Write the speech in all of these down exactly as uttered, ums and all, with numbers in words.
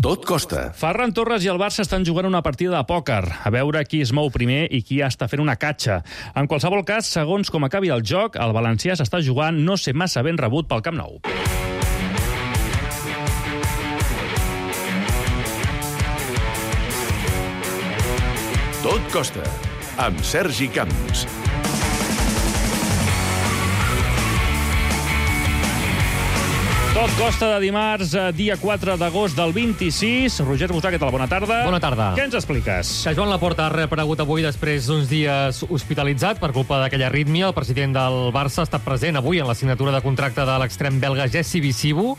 Tot costa. Ferran Torres i el Barça estan jugant una partida de pòquer, a veure qui es mou primer i qui està fent una catxa. En qualsevol cas, segons com acabi el joc, el valencià s'està jugant no ser massa ben rebut pel Camp Nou. Tot costa, amb Sergi Camps. Tot costa de dimarts, dia quatre d'agost del vint-i-sis. Roger Busà, què tal? Bona tarda. Bona tarda. Què ens expliques? Que Joan Laporta ha reaparegut avui després d'uns dies hospitalitzat per culpa d'aquella arrítmia. El president del Barça ha estat present avui en la signatura de contracte de l'extrem belga Jessi Visibu,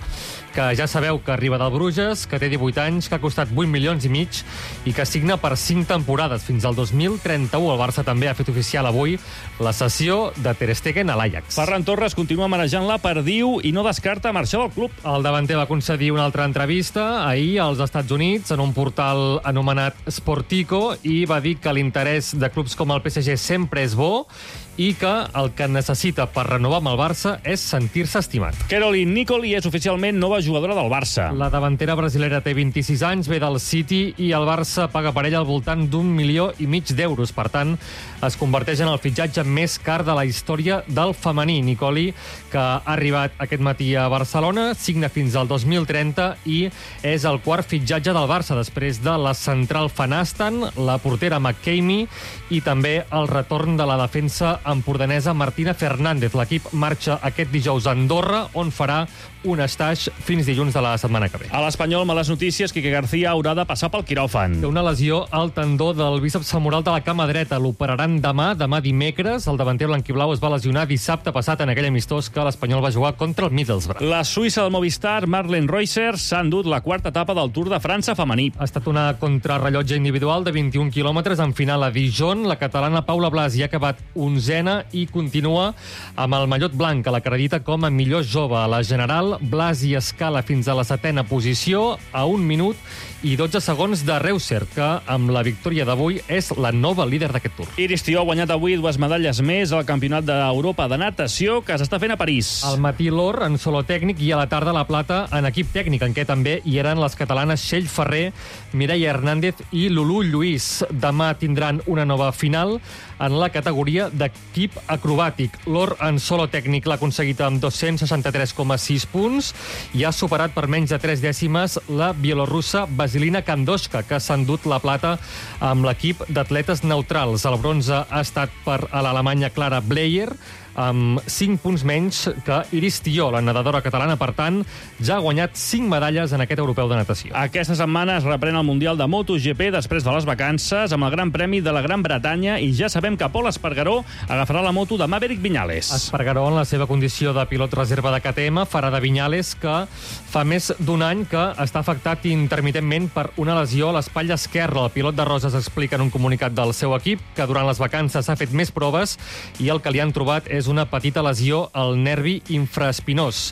que ja sabeu que arriba del Bruges, que té divuit anys, que ha costat vuit milions i mig i que signa per cinc temporades fins al dos mil trenta-u. El Barça també ha fet oficial avui la cessió de Ter Stegen a l'Ajax. Ferran Torres continua manejant la perdiu i no descarta marxar del club. El davanter va concedir una altra entrevista ahir als Estats Units en un portal anomenat Sportico i va dir que l'interès de clubs com el P S G sempre és bo i que el que necessita per renovar amb el Barça és sentir-se estimat. Caroline Nicoli és oficialment nova jugadora del Barça. La davantera brasilera té vint-i-sis anys, ve del City i el Barça paga per ella al voltant d'un milió i mig d'euros. Per tant, es converteix en el fitxatge més car de la història del femení. Nicoli, que ha arribat aquest matí a Barcelona, signa fins al dos mil trenta i és el quart fitxatge del Barça després de la central Fanastan, la portera McKamey i també el retorn de la defensa empordanesa Martina Fernández. L'equip marxa aquest dijous a Andorra, on farà un estaix fins dilluns de la setmana que ve. A l'Espanyol, males notícies, Quique García haurà de passar pel quiròfan. Té una lesió al tendó del bíceps femoral de la cama dreta. L'operaran demà, demà dimecres. El davanter blanquiblau es va lesionar dissabte passat en aquell amistós que l'Espanyol va jugar contra el Middlesbrough. La suïssa del Movistar, Marlene Reusser, s'ha endut la quarta etapa del Tour de França femení. Ha estat una contrarrellotge individual de vint-i-un quilòmetres en final a Dijon. La catalana Paula Blas hi ha acabat onzena i continua amb el mallot blanc, que l'acredita com a millor jove. A la general, Blas i escala fins a la setena posició, a un minut i dotze segons de Reusser, que amb la victòria d'avui és la nova líder d'aquest Tour. Iris Tió ha guanyat avui dues medalles més al Campionat d'Europa de natació que s'està fent a París. Al matí l'or en solo tècnic i a la tarda la plata en equip tècnic, en què també hi eren les catalanes Txell Ferrer, Mireia Hernández i Lulú Lluís. Demà tindran una nova final en la categoria d'equip acrobàtic. L'or en solo tècnic l'ha aconseguit amb dos-cents seixanta-tres coma sis punts i ha superat per menys de tres dècimes la bielorussa Vasilina Kandoshka, que s'ha endut la plata amb l'equip d'atletes neutrals. El bronze ha estat per a l'alemanya Clara Bleyer, amb cinc punts menys que Iris Tió, la nedadora catalana. Per tant, ja ha guanyat cinc medalles en aquest europeu de natació. Aquesta setmana es reprèn el Mundial de MotoGP després de les vacances amb el Gran Premi de la Gran Bretanya i ja sabem que Pol Espargaró agafarà la moto de Maverick Viñales. Espargaró, en la seva condició de pilot reserva de K T M, farà de Viñales, que fa més d'un any que està afectat intermitentment per una lesió a l'espatlla esquerra. El pilot de Roses explica en un comunicat del seu equip que durant les vacances s'ha fet més proves i el que li han trobat és una petita lesió al nervi infraespinós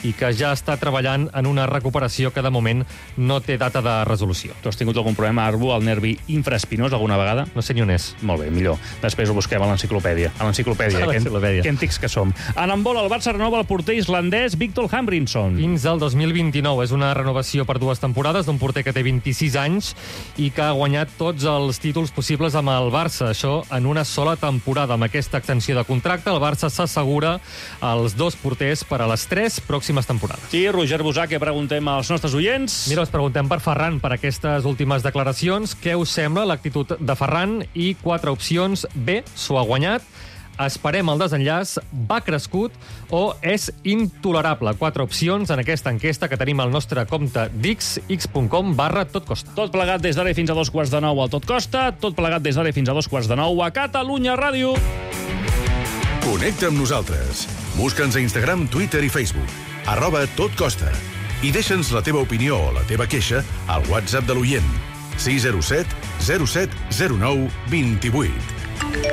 i que ja està treballant en una recuperació que de moment no té data de resolució. Tu has tingut algun problema, Arbu, al nervi infraespinós alguna vegada? No sé ni on és. Molt bé, millor. Després ho busquem a l'enciclopèdia. A l'enciclopèdia. A l'enciclopèdia. Que antics que som. En handbol, el Barça renova el porter islandès Victor Hambrinson. Fins al dos mil vint-i-nou. És una renovació per dues temporades d'un porter que té vint-i-sis anys i que ha guanyat tots els títols possibles amb el Barça. Això en una sola temporada. Amb aquesta extensió de contracte, el Barça s'assegura els dos porters per a les tres pròximes temporades. I Roger Busà, què preguntem als nostres oients? Mira, us preguntem per Ferran, per aquestes últimes declaracions. Què us sembla l'actitud de Ferran? I quatre opcions. B, s'ho ha guanyat. Esperem el desenllaç, va crescut o és intolerable. Quatre opcions en aquesta enquesta que tenim al nostre compte dix, x.com barra totcosta. Tot plegat des d'ara fins a dos quarts de nou al Tot Costa, tot plegat des d'ara fins a dos quarts de nou a Catalunya Ràdio. Connecta amb nosaltres. Busca'ns a Instagram, Twitter i Facebook. Arroba Tot Costa. I deixa'ns la teva opinió o la teva queixa al WhatsApp de l'oient. sis zero set zero set zero nou dos vuit.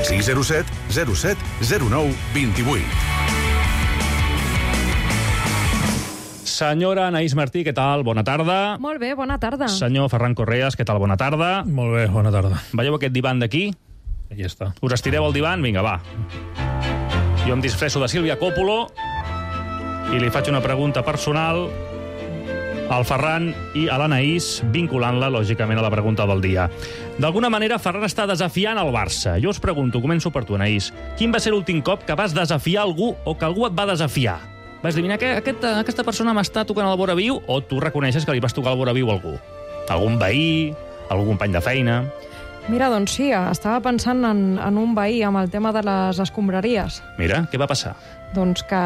sis zero set zero set zero nou dos vuit. Senyora Anaïs Martí, què tal? Bona tarda. Molt bé, bona tarda. Senyor Ferran Correas, què tal? Bona tarda. Molt bé, bona tarda. Veieu aquest divan d'aquí? Aquí està. Us estireu el divan? Vinga, va. Jo em disfresso de Sílvia Coppolo i li faig una pregunta personal al Ferran i a l'Anaïs, vinculant-la, lògicament, a la pregunta del dia. D'alguna manera, Ferran està desafiant el Barça. Jo us pregunto, començo per tu, Anaïs, quin va ser l'últim cop que vas desafiar algú o que algú et va desafiar? Vas dir, mira, aquest, aquesta persona m'està tocant el vora viu, o tu reconeixes que li vas tocar el vora viu a algú? Algun veí, algun company de feina? Mira, doncs sí, estava pensant en, en un veí amb el tema de les escombraries. Mira, què va passar? Doncs que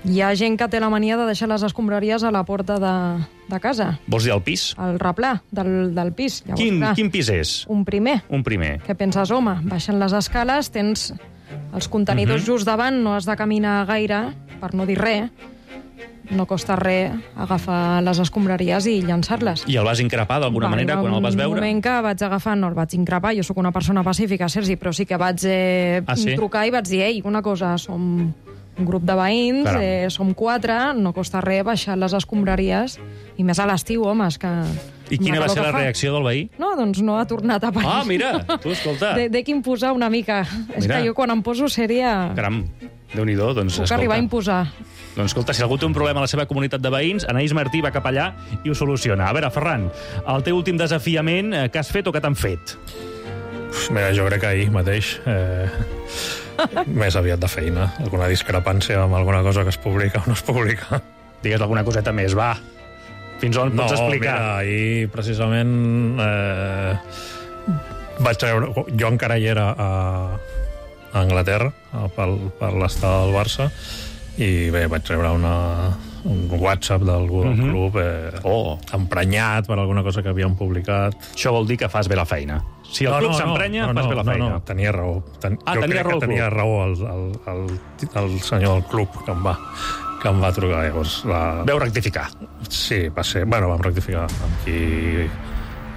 hi ha gent que té la mania de deixar les escombraries a la porta de, de casa. Vols dir al pis? Al replà del, del pis. Llavors, Quin, clar, quin pis és? un primer. Un primer. Què penses, home? Baixen les escales, tens els contenidors Mhm. just davant, no has de caminar gaire, per no dir res. No costa res agafar les escombraries i llançar-les. I el vas increpar d'alguna manera quan el vas veure? Un moment que vaig agafar, no el vaig increpar, jo sóc una persona pacífica, Sergi, però sí que vaig eh, Ah, sí? trucar i vaig dir, ei, una cosa, som un grup de veïns, Caram. eh, som quatre, no costa res baixar les escombraries, i més a l'estiu, home, és que... I quina amb va calor ser que la fa. reacció del veí? No, doncs no ha tornat a aparèixer. Ah, mira, tu, escolta. De, de quin posar una mica. És Mira. que jo quan em poso seria... Caram, Déu-n'hi-do, doncs Puc escolta. arribar a imposar. Doncs escolta, si algú té un problema a la seva comunitat de veïns, Anaïs Martí va cap allà i ho soluciona. A veure, Ferran, el teu últim desafiament, eh, que has fet o que t'han fet? Mira, jo crec que ahir mateix, eh, més aviat de feina, alguna discrepància amb alguna cosa que es publica o no es publica. Digues alguna coseta més, va. Fins on No, pots explicar? mira, ahir precisament eh, vaig treure... Jo encara hi era a, a Anglaterra, a, per, per l'estada del Barça, i bé, vaig treure una, un WhatsApp d'algú del Mhm. club eh, Oh, emprenyat per alguna cosa que havien publicat. això vol dir que fas bé la feina. Si el club s'emprenya, no, no, fas bé la no, feina. No, tenia raó. Ten, Ah, jo tenia crec raó el que tenia club. raó el, el, el, el senyor del club que em va, que em va trucar. Llavors, la... Veu rectificar. Sí, va ser... Bueno, vam rectificar amb qui...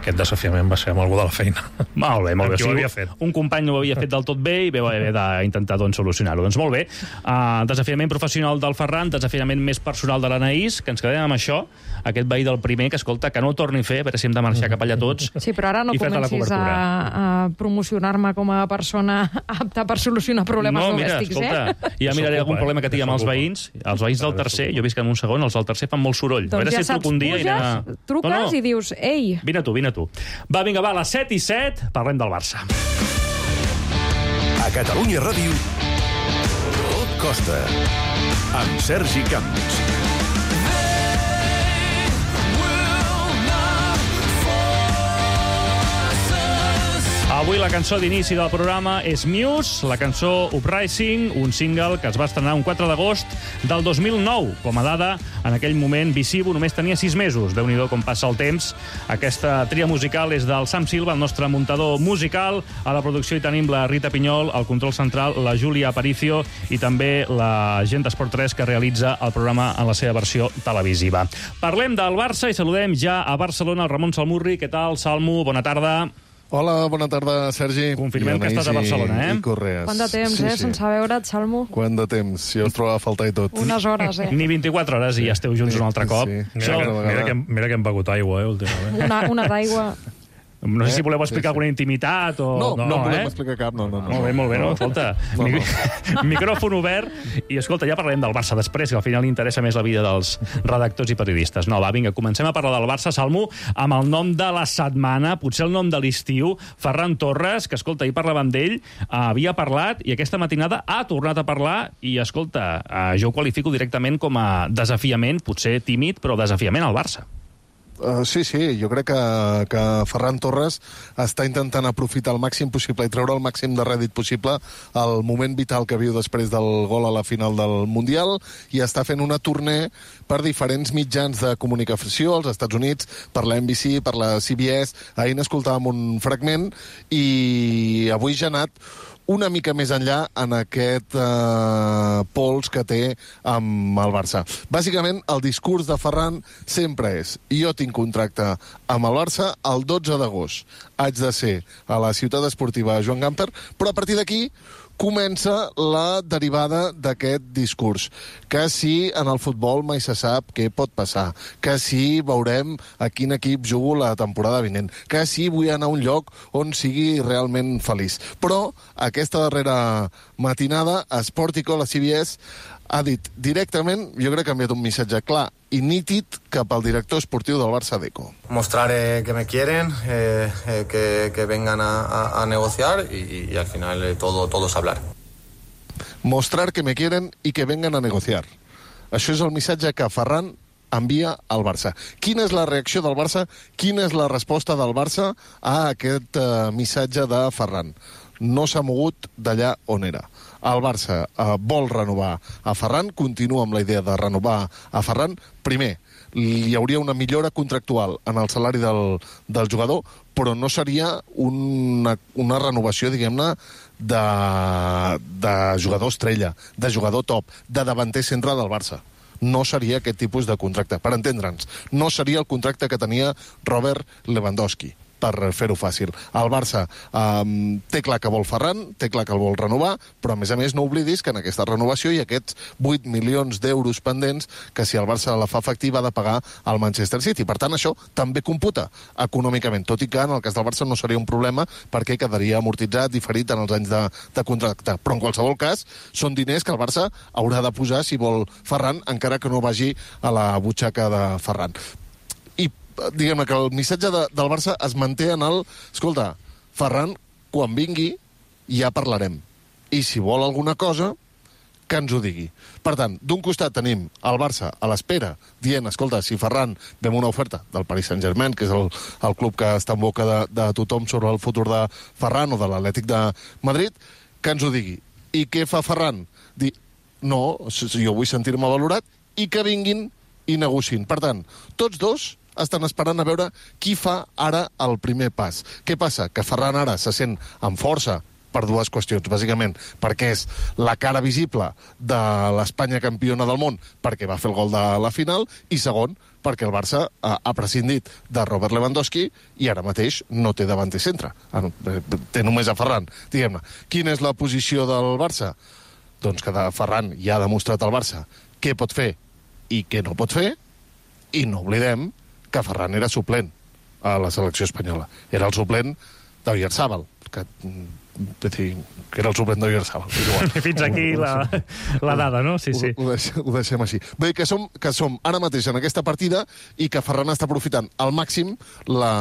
Aquest desafiament va ser amb algú de la feina. Molt bé, molt bé. Amb qui ho havia fet. Un company no ho havia fet del tot bé i veu haver d'intentar doncs, solucionar-ho. Doncs molt bé. Uh, desafiament professional del Ferran, desafiament més personal de l'Anaïs, que ens quedem amb això, aquest veí del primer, que escolta, que no ho torni a fer, a veure si hem de marxar cap allà tots. Sí, però ara no i fer-te la comencis a, cobertura. a promocionar-me com a persona apta per solucionar problemes No, mira, domèstics, escolta, eh? ja miraré S'ocupa, algun eh? problema que tingui amb els S'ocupa. veïns. Els veïns del tercer, jo visc en un segon, els del tercer fan molt soroll. a Doncs veure ja si saps, truco un dia puges, i anem a... truques No, no. i dius, ei, Vine tu, vine tu. Va, vinga, va, a les set i set, parlem del Barça. A Catalunya Ràdio, tot costa. Amb Sergi Camps. Avui la cançó d'inici del programa és Muse, la cançó Uprising, un single que es va estrenar un quatre d'agost del dos mil nou. Com a dada, en aquell moment, Visivo només tenia sis mesos. Déu-n'hi-do com passa el temps. Aquesta tria musical és del Sam Silva, el nostre muntador musical. A la producció hi tenim la Rita Pinyol, al control central la Júlia Aparicio i també la gent d'Esport tres que realitza el programa en la seva versió televisiva. Parlem del Barça i saludem ja a Barcelona el Ramon Salmurri. Què tal, Salmo? Bona tarda. Hola, bona tarda, Sergi. Confirmem I que estàs a Anaïs i- Barcelona, eh? I Correas. quant de temps, sí, eh, sí. sense veure't, Salmo? Quant de temps? Jo us trobava a faltar i tot. Unes hores, eh? Ni vint-i-quatre hores i ja esteu junts Sí, un altre cop. sí. Mira, que, Això- mira, que, mira que hem begut aigua, eh, últimament. Una, una d'aigua. No sé si Eh? voleu explicar Sí, sí. alguna intimitat o... No, no, no eh? podem explicar cap, no, no. no. Molt bé, molt bé, no? Escolta, No, mi... no. micròfon obert i, escolta, ja parlarem del Barça després, que al final li interessa més la vida dels redactors i periodistes. No, va, vinga, comencem a parlar del Barça, Salmo, amb el nom de la setmana, potser el nom de l'estiu, Ferran Torres, que, escolta, ahir parlàvem d'ell, havia parlat i aquesta matinada ha tornat a parlar i, escolta, eh, jo ho qualifico directament com a desafiament, potser tímid, però desafiament al Barça. Uh, sí, sí, jo crec que, que Ferran Torres està intentant aprofitar el màxim possible i treure el màxim de rèdit possible el moment vital que viu després del gol a la final del Mundial i està fent una tournée per diferents mitjans de comunicació als Estats Units, per la N B C, per la C B S. Ahir n'escoltàvem un fragment i avui ja ha anat una mica més enllà en aquest eh, pols que té amb el Barça. Bàsicament, el discurs de Ferran sempre és jo tinc contracte amb el Barça el dotze d'agost. Haig de ser a la ciutat esportiva Joan Gamper, però a partir d'aquí comença la derivada d'aquest discurs. Que si en el futbol mai se sap què pot passar, que si veurem a quin equip jugo la temporada vinent, que si vull anar a un lloc on sigui realment feliç. Però aquesta darrera matinada, a Sportico, la C B S, ha dit directament, jo crec que ha enviat un missatge clar i nítid cap al director esportiu del Barça, Deco. Mostrar eh, que me quieren, eh, eh, que, que vengan a, a, a negociar y, y al final eh, todo, todo es hablar. Mostrar que me quieren i que vengan a negociar. Això és el missatge que Ferran envia al Barça. Quina és la reacció del Barça? Quina és la resposta del Barça a aquest eh, missatge de Ferran? No s'ha mogut d'allà on era. El Barça eh, vol renovar a Ferran, continua amb la idea de renovar a Ferran. Primer, hi hauria una millora contractual en el salari del, del jugador, però no seria una, una renovació, diguem-ne, de, de jugador estrella, de jugador top, de davanter centre del Barça. No seria aquest tipus de contracte. Per entendre'ns, no seria el contracte que tenia Robert Lewandowski, per fer-ho fàcil. El Barça um, té clar que vol Ferran, té clar que el vol renovar, però a més a més no oblidis que en aquesta renovació hi ha aquests vuit milions d'euros pendents que si el Barça la fa efectiva ha de pagar al Manchester City. Per tant, això també computa econòmicament, tot i que en el cas del Barça no seria un problema perquè quedaria amortitzat, diferit en els anys de, de contracte. Però en qualsevol cas, són diners que el Barça haurà de posar si vol Ferran, encara que no vagi a la butxaca de Ferran. Diguem-ne que el missatge de, del Barça es manté en el... Escolta, Ferran, quan vingui, ja parlarem. I si vol alguna cosa, que ens ho digui. Per tant, d'un costat tenim el Barça a l'espera, dient, escolta, si Ferran vem una oferta del Paris Saint-Germain, que és el, el club que està en boca de, de tothom sobre el futur de Ferran o de l'Atlètic de Madrid, que ens ho digui. I què fa Ferran? Dir, no, jo vull sentir-me valorat, i que vinguin i negociïn. Per tant, tots dos estan esperant a veure qui fa ara el primer pas. Què passa? Que Ferran ara se sent amb força per dues qüestions, bàsicament, perquè és la cara visible de l'Espanya campiona del món, perquè va fer el gol de la final, i segon, perquè el Barça ha, ha prescindit de Robert Lewandowski i ara mateix no té davanter centre. Té només a Ferran, diguem-ne. Quina és la posició del Barça? Doncs que de Ferran ja ha demostrat al Barça què pot fer i què no pot fer, i no oblidem que Ferran era suplent a la selecció espanyola. Era el suplent d'Oyarzabal, que, dir, que era el suplent d'Oyarzabal. Fins aquí la, la dada, no? Sí, sí. Ho, ho, deixem, ho deixem així. Bé, que som, que som ara mateix en aquesta partida i que Ferran està aprofitant al màxim la,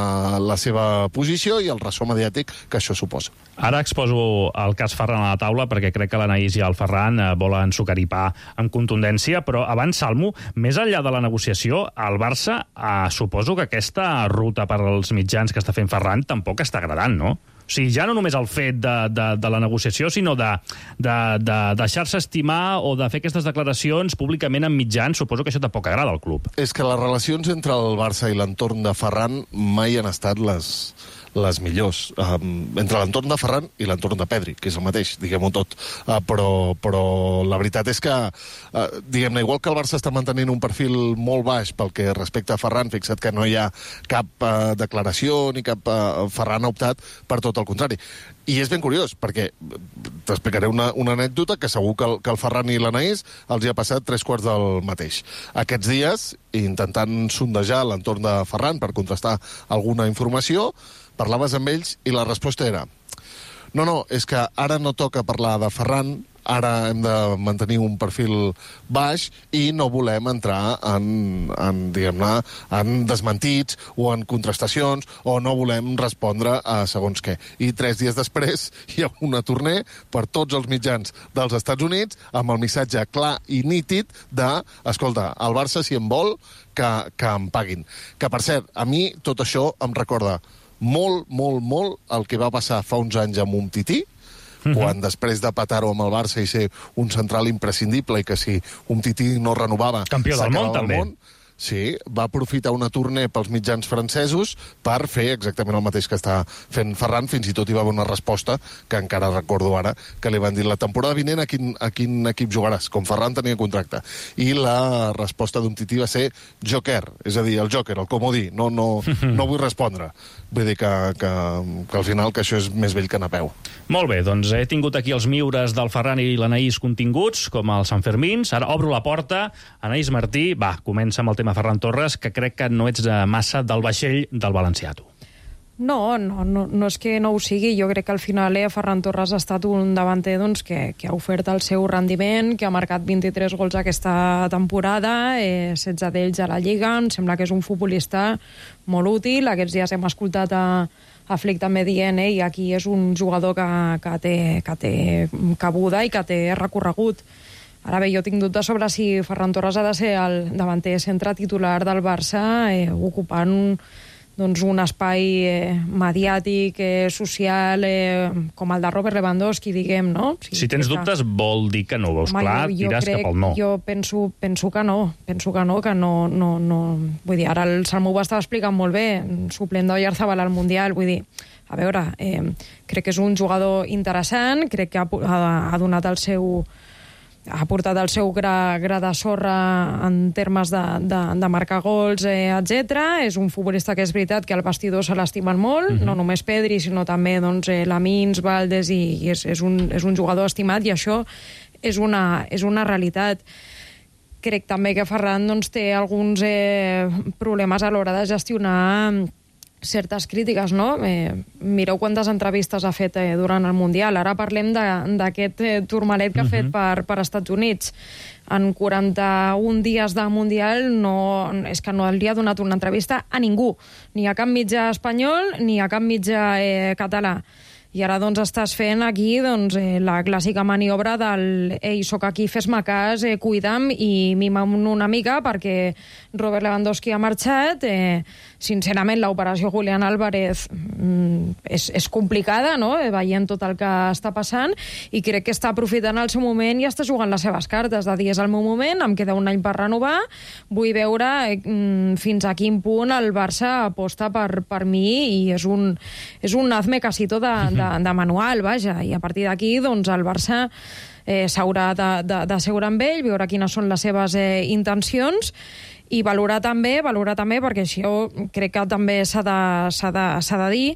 la seva posició i el ressò mediàtic que això suposa. Ara exposo el cas Ferran a la taula perquè crec que l'Anaïs i el Ferran eh, volen sucaripar amb contundència, però abans, Salmo, més enllà de la negociació, el Barça, eh, suposo que aquesta ruta per als mitjans que està fent Ferran tampoc està agradant, no? O sigui, ja no només el fet de, de, de la negociació, sinó de, de, de deixar-se estimar o de fer aquestes declaracions públicament en mitjans, suposo que això tampoc agrada al club. És que les relacions entre el Barça i l'entorn de Ferran mai han estat les... les millors, um, entre l'entorn de Ferran i l'entorn de Pedri, que és el mateix, diguem-ho tot. Uh, però, però la veritat és que, uh, diguem-ne, igual que el Barça està mantenint un perfil molt baix pel que respecta a Ferran, fixa't que no hi ha cap uh, declaració ni cap... Uh, Ferran ha optat per tot el contrari. I és ben curiós, perquè t'explicaré una, una anècdota que segur que el, que el Ferran i l'Anaïs els hi ha passat tres quarts del mateix. Aquests dies, intentant sondejar l'entorn de Ferran per contrastar alguna informació, parlaves amb ells i la resposta era no, no, és que ara no toca parlar de Ferran, ara hem de mantenir un perfil baix i no volem entrar en, en diguem-ne, en desmentits o en contrastacions o no volem respondre a segons què. I tres dies després hi ha una tournée per tots els mitjans dels Estats Units amb el missatge clar i nítid de, escolta, el Barça si em vol que, que em paguin. Que, per cert, a mi tot això em recorda molt, molt, molt el que va passar fa uns anys amb Umtiti, uh-huh. quan després de patar-ho amb el Barça i ser un central imprescindible i que si Umtiti no renovava... Campió del món, també. Món, sí, va aprofitar una tournée pels mitjans francesos per fer exactament el mateix que està fent Ferran, fins i tot hi va haver una resposta que encara recordo ara, que li van dir la temporada vinent a quin, a quin equip jugaràs, com Ferran tenia contracte. I la resposta d'un tití va ser Joker, és a dir, el Joker, el comodí, no, no, no vull respondre. Vull dir que, que, que al final que això és més vell que Napeu. Molt bé, doncs he tingut aquí els miures del Ferran i l'Anaïs continguts, com els Sanfermins. Ara obro la porta. Anaïs Martí, va, comença amb el tema Ferran Torres, que crec que no ets massa del vaixell del valencià, tu. No, no, no, no és que no ho sigui. Jo crec que al final eh, Ferran Torres ha estat un davanter doncs, que, que ha ofert el seu rendiment, que ha marcat vint-i-tres gols aquesta temporada, eh, setze d'ells a la Lliga. Em sembla que és un futbolista molt útil. Aquests dies hem escoltat a, a Flick també dient eh, i aquí és un jugador que, que, té, que té cabuda i que té recorregut. Ara bé, jo tinc dubtes sobre si Ferran Torres ha de ser el davanter centre titular del Barça, eh, ocupant un doncs un espai eh, mediàtic, eh, social, eh, com el de Robert Lewandowski, diguem, no? Sí, si tens dubtes, que... vol dir que no ho veus. Home, clar, jo, jo tiràs crec, cap al no. Jo penso, penso que no, penso que no, que no, no, no... Vull dir, ara el Salmou ho estava explicant molt bé, suplent d'Oyarzabal al Mundial, vull dir, a veure, eh, crec que és un jugador interessant, crec que ha, ha, ha donat el seu... ha portat el seu gra, gra de sorra en termes de, de, de marcar gols, eh, etcètera. És un futbolista que és veritat que al vestidor se l'estimen molt, uh-huh. no només Pedri, sinó també doncs, eh, Lamins, Valdés, i, i és, és, un, és un jugador estimat, i això és una, és una realitat. Crec també que Ferran doncs, té alguns eh, problemes a l'hora de gestionar certes crítiques, no? Eh, mireu quantes entrevistes ha fet eh, durant el Mundial. Ara parlem d'aquest eh, turmalet que ha fet per, per Estats Units. En quaranta-un dies de Mundial no, és que no li ha donat una entrevista a ningú, ni a cap mitjà espanyol ni a cap mitjà eh, català. I ara doncs estàs fent aquí doncs, eh, la clàssica maniobra del ei, soc aquí, fes-me cas, eh, cuida'm i mima'm una mica perquè Robert Lewandowski ha marxat. Eh, sincerament, l'operació Julián Álvarez mm, és, és complicada, no? Eh, veient tot el que està passant, i crec que està aprofitant el seu moment i està jugant les seves cartes, de dir, és el meu moment, em queda un any per renovar, vull veure eh, fins a quin punt el Barça aposta per, per mi, i és un, és un hazme casito de, de, de manual, vaja, i a partir d'aquí doncs, el Barça eh, s'haurà d'asseure amb ell, veure quines són les seves eh, intencions, i valorar també, valorar també, perquè això crec que també s'ha de, s'ha de, s'ha de dir,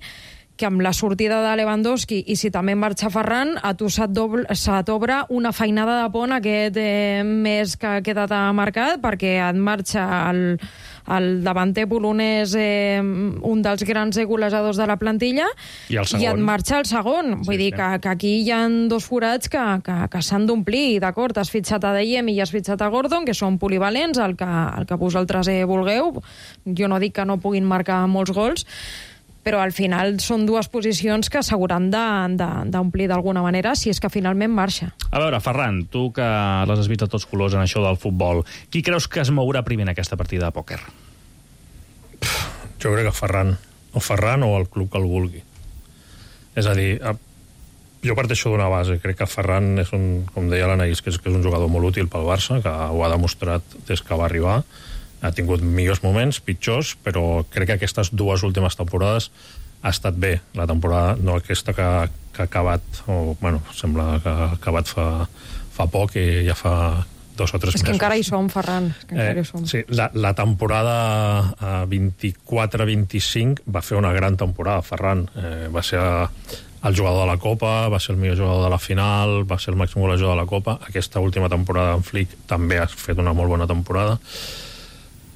que amb la sortida de Lewandowski, i si també marxa Ferran, a tu se t'obre una feinada de pont aquest eh, mes que ha quedat marcat, perquè et marxa el, el davanter polonès, eh, un dels grans golejadors de la plantilla, i, el i et marxa el segon. Vull sí, dir sí. Que, que aquí hi ha dos forats que, que, que s'han d'omplir, d'acord? Has fitxat a Dayem i has fitxat a Gordon, que són polivalents, el que, el que vosaltres eh, vulgueu. Jo no dic que no puguin marcar molts gols, però al final són dues posicions que s'hauran d'omplir d'alguna manera, si és que finalment marxa. A veure, Ferran, tu que les has vist a tots colors en això del futbol, qui creus que es mourà primer en aquesta partida de pòquer? Jo crec que Ferran. O Ferran o el club que el vulgui. És a dir, jo parteixo d'una base. Crec que Ferran és un, com deia l'Anaïs, que és, que és un jugador molt útil pel Barça, que ho ha demostrat des que va arribar. Ha tingut millors moments, pitjors, però crec que aquestes dues últimes temporades ha estat bé. La temporada, no aquesta que, que ha acabat, o, bueno, sembla que ha acabat fa, fa poc, i ja fa dos o tres mesos. És que encara hi som, Ferran. És que encara eh, hi som. Sí, la, la temporada vint-i-quatre vint-i-cinc va fer una gran temporada, Ferran. Eh, va ser el jugador de la Copa, va ser el millor jugador de la final, va ser el màxim golejador de la Copa. Aquesta última temporada en Flick també ha fet una molt bona temporada.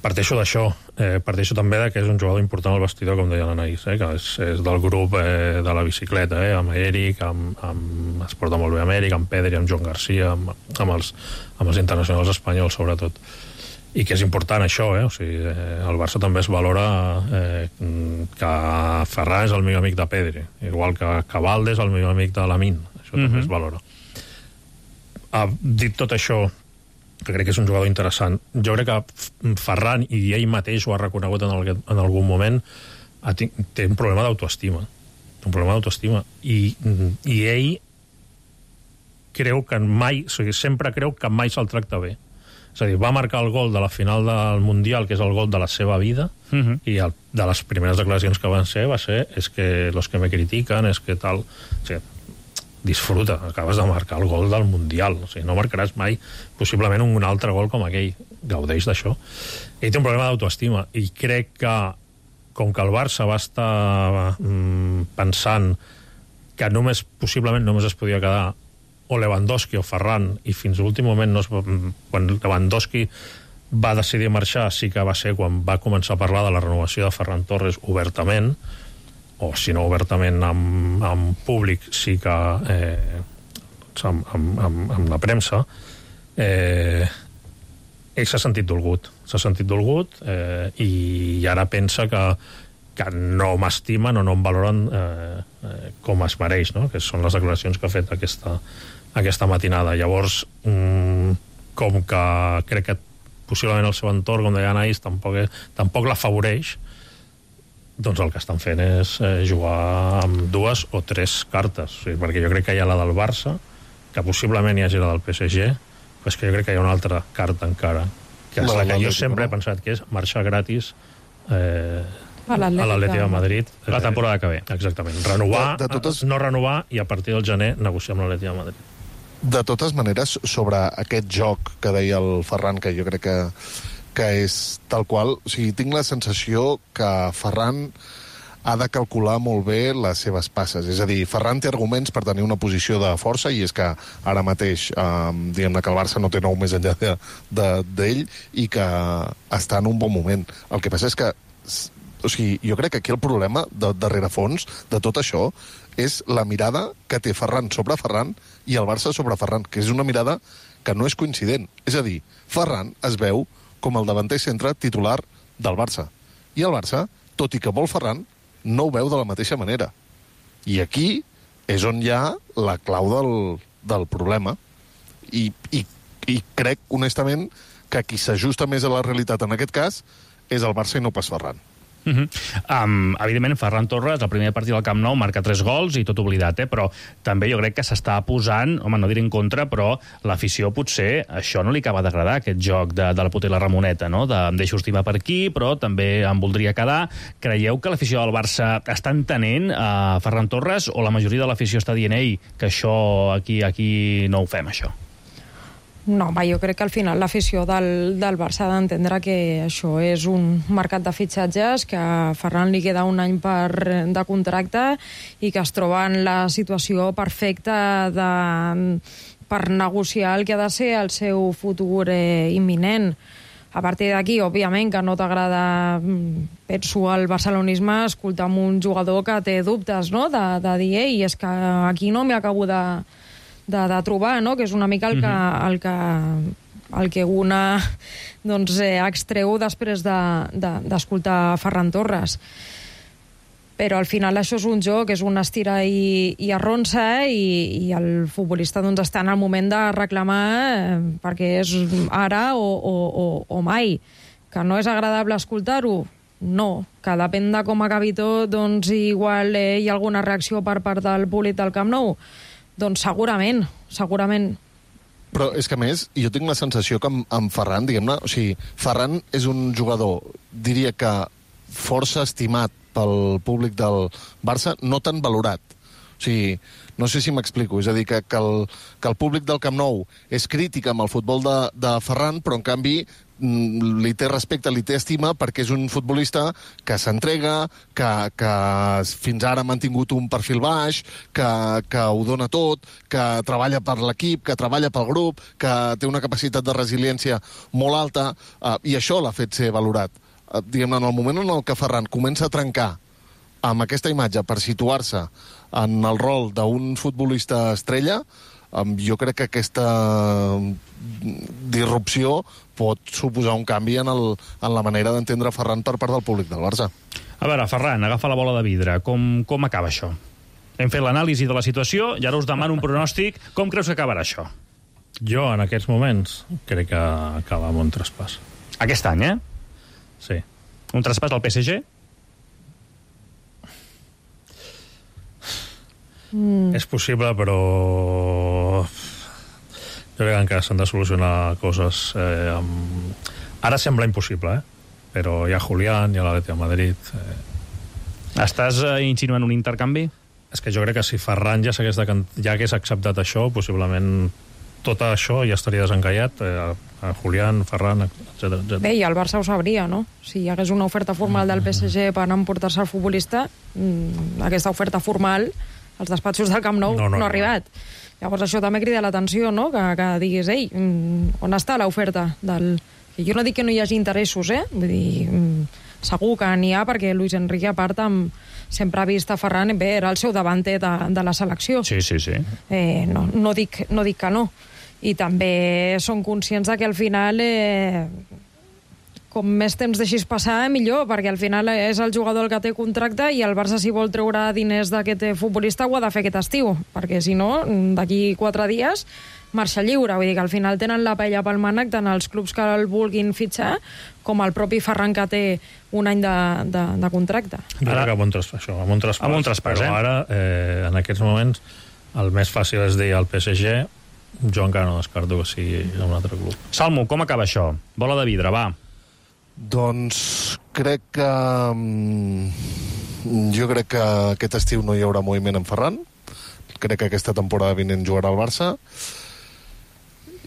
Parteixo d'això, eh, parteixo també de que és un jugador important al vestidor, com deia l'Anaïs, eh, que és, és del grup eh, de la bicicleta, eh, amb Eric, amb, amb, es porta molt bé amb Eric, amb Pedri, amb Joan Garcia, amb, amb, els, amb els internacionals espanyols, sobretot. I que és important això, eh? O sigui, eh, el Barça també es valora eh, que Ferran és el millor amic de Pedri, igual que, que Valdés és el millor amic de Lamine. Això mm-hmm. també es valora. Ha dit tot això, que crec que és un jugador interessant. Jo crec que Ferran, i ell mateix ho ha reconegut en, el, en algun moment, ha, té un problema d'autoestima. Un problema d'autoestima. I, I ell creu que mai, o sigui, sempre creu que mai se'l tracta bé. És a dir, va marcar el gol de la final del Mundial, que és el gol de la seva vida, uh-huh. i el, de les primeres declaracions que van ser va ser és que los que me critiquen, és que tal... O sigui, disfruta, acabes de marcar el gol del Mundial, o sigui, no marcaràs mai possiblement un altre gol com aquell, gaudeix d'això. Ell té un problema d'autoestima, i crec que com que el Barça va estar mm, pensant que només, possiblement només es podia quedar o Lewandowski o Ferran, i fins a l'últim moment no es, quan Lewandowski va decidir marxar, sí que va ser quan va començar a parlar de la renovació de Ferran Torres obertament. o si no obertament amb, amb públic, sí que eh, amb, amb, amb, amb la premsa, eh, ell s'ha sentit dolgut, s'ha sentit dolgut eh, i ara pensa que, que no m'estimen o no em valoren eh, eh, com es mereix, no? Que són les declaracions que ha fet aquesta, aquesta matinada. Llavors, mm, com que crec que possiblement el seu entorn, com deia Anaïs, tampoc, tampoc l'afavoreix, doncs el que estan fent és eh, jugar amb dues o tres cartes. O sigui, perquè jo crec que hi ha la del Barça, que possiblement hi hagi la del P S G, però és que jo crec que hi ha una altra carta encara, que és la, la que jo sempre he pensat que és marxar gratis eh, a l'Atlètic de Madrid. Eh, la temporada que ve. Exactament. Renovar, de, de totes... no renovar, i a partir del gener negociar amb l'Atlètic de Madrid. De totes maneres, sobre aquest joc que deia el Ferran, que jo crec que que és tal qual, o sigui, tinc la sensació que Ferran ha de calcular molt bé les seves passes. És a dir, Ferran té arguments per tenir una posició de força, i és que ara mateix, eh, diguem-ne que el Barça no té nou més enllà d'ell de, de, i que està en un bon moment. El que passa és que, o sigui, jo crec que aquí el problema de, de rerefons de tot això és la mirada que té Ferran sobre Ferran i el Barça sobre Ferran, que és una mirada que no és coincident. És a dir, Ferran es veu com el davanter centre titular del Barça. I el Barça, tot i que vol Ferran, no ho veu de la mateixa manera. I aquí és on hi ha la clau del, del problema. I, i, I crec, honestament, que qui s'ajusta més a la realitat en aquest cas és el Barça i no pas Ferran. Uh -huh. um, evidentment, Ferran Torres, el primer partit del Camp Nou, marca tres gols i tot oblidat, eh? Però també jo crec que s'està posant, home, no diré en contra, però l'afició potser això no li acaba d'agradar, aquest joc de, de la puta i la Ramoneta, no? De em deixo estimar per aquí, però també em voldria quedar. Creieu que l'afició del Barça està entenent a uh, Ferran Torres, o la majoria de l'afició està dient, ei, que això aquí, aquí no ho fem, això? No, va, jo crec que al final l'afició del, del Barça ha d'entendre que això és un mercat de fitxatges, que a Ferran li queda un any per, de contracte i que es troba en la situació perfecta de, per negociar el que ha de ser el seu futur eh, imminent. A partir d'aquí, òbviament, que no t'agrada, penso, el barcelonisme, escoltar amb un jugador que té dubtes, no?, de, de dir, ei, és que aquí no m'hi acabo de... De, de trobar, no?, que és una mica el que, el que, el que una doncs, eh, extreu després d'escoltar de, de, Ferran Torres. Però al final això és un joc, és un estira i, i arronsa, i, i el futbolista doncs, està en el moment de reclamar eh, perquè és ara o, o, o, o mai. Que no és agradable escoltar-ho? No, que depèn de com acabi tot, doncs igual eh, hi ha alguna reacció per part del públic del Camp Nou. Doncs segurament, segurament. Però és que, a més, jo tinc la sensació que amb, amb Ferran, diguem-ne, o sigui, Ferran és un jugador, diria que força estimat pel públic del Barça, no tan valorat. O sigui, no sé si m'explico, és a dir, que, que, el, que el públic del Camp Nou és crític amb el futbol de, de Ferran, però en canvi li té respecte, li té estima, perquè és un futbolista que s'entrega, que, que fins ara ha mantingut un perfil baix, que, que ho dona tot, que treballa per l'equip, que treballa pel grup, que té una capacitat de resiliència molt alta, eh, i això l'ha fet ser valorat. Eh, diguem-ne, en el moment en el que Ferran comença a trencar amb aquesta imatge per situar-se en el rol d'un futbolista estrella, um, jo crec que aquesta disrupció pot suposar un canvi en, el, en la manera d'entendre Ferran per part del públic del Barça. A veure, Ferran, agafa la bola de vidre. Com, com acaba això? Hem fet l'anàlisi de la situació i ara us demano un pronòstic. Com creus que acabarà això? Jo, en aquests moments, crec que acaba amb un traspàs. Aquest any, eh? Sí. Un traspàs al P S G? Mm. És possible, però jo crec que encara s'han de solucionar coses. Eh, amb... Ara sembla impossible, eh? Però hi ha Julián, hi ha l'Atlètic de Madrid. Eh... Estàs eh, insinuant un intercanvi? És que jo crec que si Ferran ja, de can... ja hagués acceptat això, possiblement tot això ja estaria desencallat. Eh, a Julián, Ferran, etcètera, etcètera. Bé, i el Barça ho sabria, no? Si hi hagués una oferta formal del P S G per emportar-se el futbolista, mmm, aquesta oferta formal als despatxos del Camp Nou no, no, no ha arribat. No. Llavors això també crida l'atenció, no?, que, que diguis, ei, on està l'oferta del... Jo no dic que no hi hagi interessos, eh? Vull dir, segur que n'hi ha, perquè Luis Enrique, a part, amb, sempre ha vist a Ferran, bé, era el seu davanter de, de la selecció. Sí, sí, sí. Eh, no, no, dic, no dic que no. I també són conscients que al final, eh, com més temps deixis passar, millor, perquè al final és el jugador el que té contracte i el Barça, si vol treure diners d'aquest futbolista, ho ha de fer aquest estiu, perquè si no, d'aquí quatre dies marxa lliure. Vull dir que al final tenen la paella pel mànec tant els clubs que el vulguin fitxar com el propi Ferran, que té un any de, de, de contracte. Jo crec que amb un traspàs, això, amb un traspàs, amb un traspàs però eh? ara, eh, en aquests moments, el més fàcil és dir al P S G, jo encara no descarto que sigui un altre club. Salmo, com acaba això? Bola de vidre, va. Doncs crec que... Jo crec que aquest estiu no hi haurà moviment en Ferran. Crec que aquesta temporada vinent jugarà al Barça.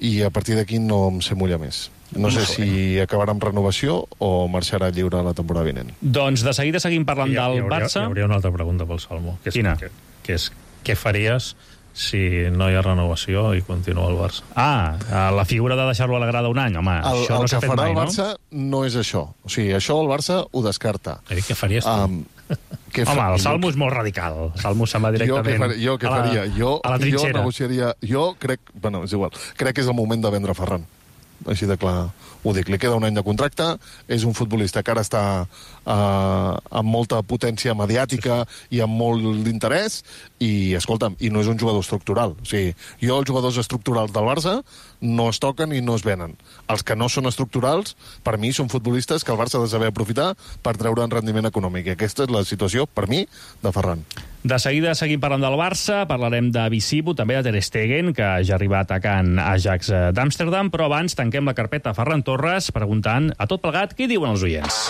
I a partir d'aquí no em sé mullar més. No sé si acabarà amb renovació o marxarà lliure la temporada vinent. Doncs de seguida seguim parlant I, del hi hauria, Barça. Hi hauria una altra pregunta pel Salmo. Que és, Quina? Que, que és, què faries si no hi ha renovació i continua el Barça? Ah, la figura de deixar-lo a la grada un any, home, El, això el no s'ha que fet farà mai, el no? Barça no és això. O sigui, això el Barça ho descarta. He dit, què faries tu? Um, què Home, fa- el Salmo és molt radical. El Salmo se'n va Jo què, directament faria, jo què a la, faria? Jo, a la jo trinxera. negociaria... Jo crec... Bueno, és igual. Crec que és el moment de vendre Ferran. Així de clar ho dic. Li queda un any de contracte, és un futbolista que ara està uh, amb molta potència mediàtica i amb molt d'interès, i, escolta'm, i no és un jugador estructural. O sigui, jo els jugadors estructurals del Barça no es toquen i no es venen. Els que no són estructurals, per mi, són futbolistes que el Barça ha de saber aprofitar per treure un rendiment econòmic. I aquesta és la situació, per mi, de Ferran. De seguida seguim parlant del Barça, parlarem de Visibo, també de Ter Stegen, que ja ha arribat atacant Ajax d'Amsterdam, però abans tanquem la carpeta a Ferran Torres preguntant a tot plegat què diuen els oients.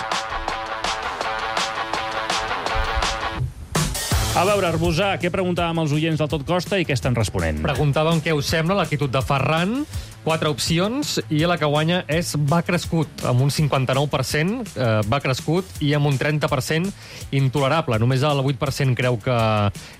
A veure, Arbusà, què preguntàvem als oients del Tot Costa i què estan responent? Preguntàvem què us sembla l'actitud de Ferran, quatre opcions, i la que guanya és va crescut, amb un cinquanta-nou per cent, eh, va crescut, i amb un trenta per cent intolerable. Només el vuit per cent creu que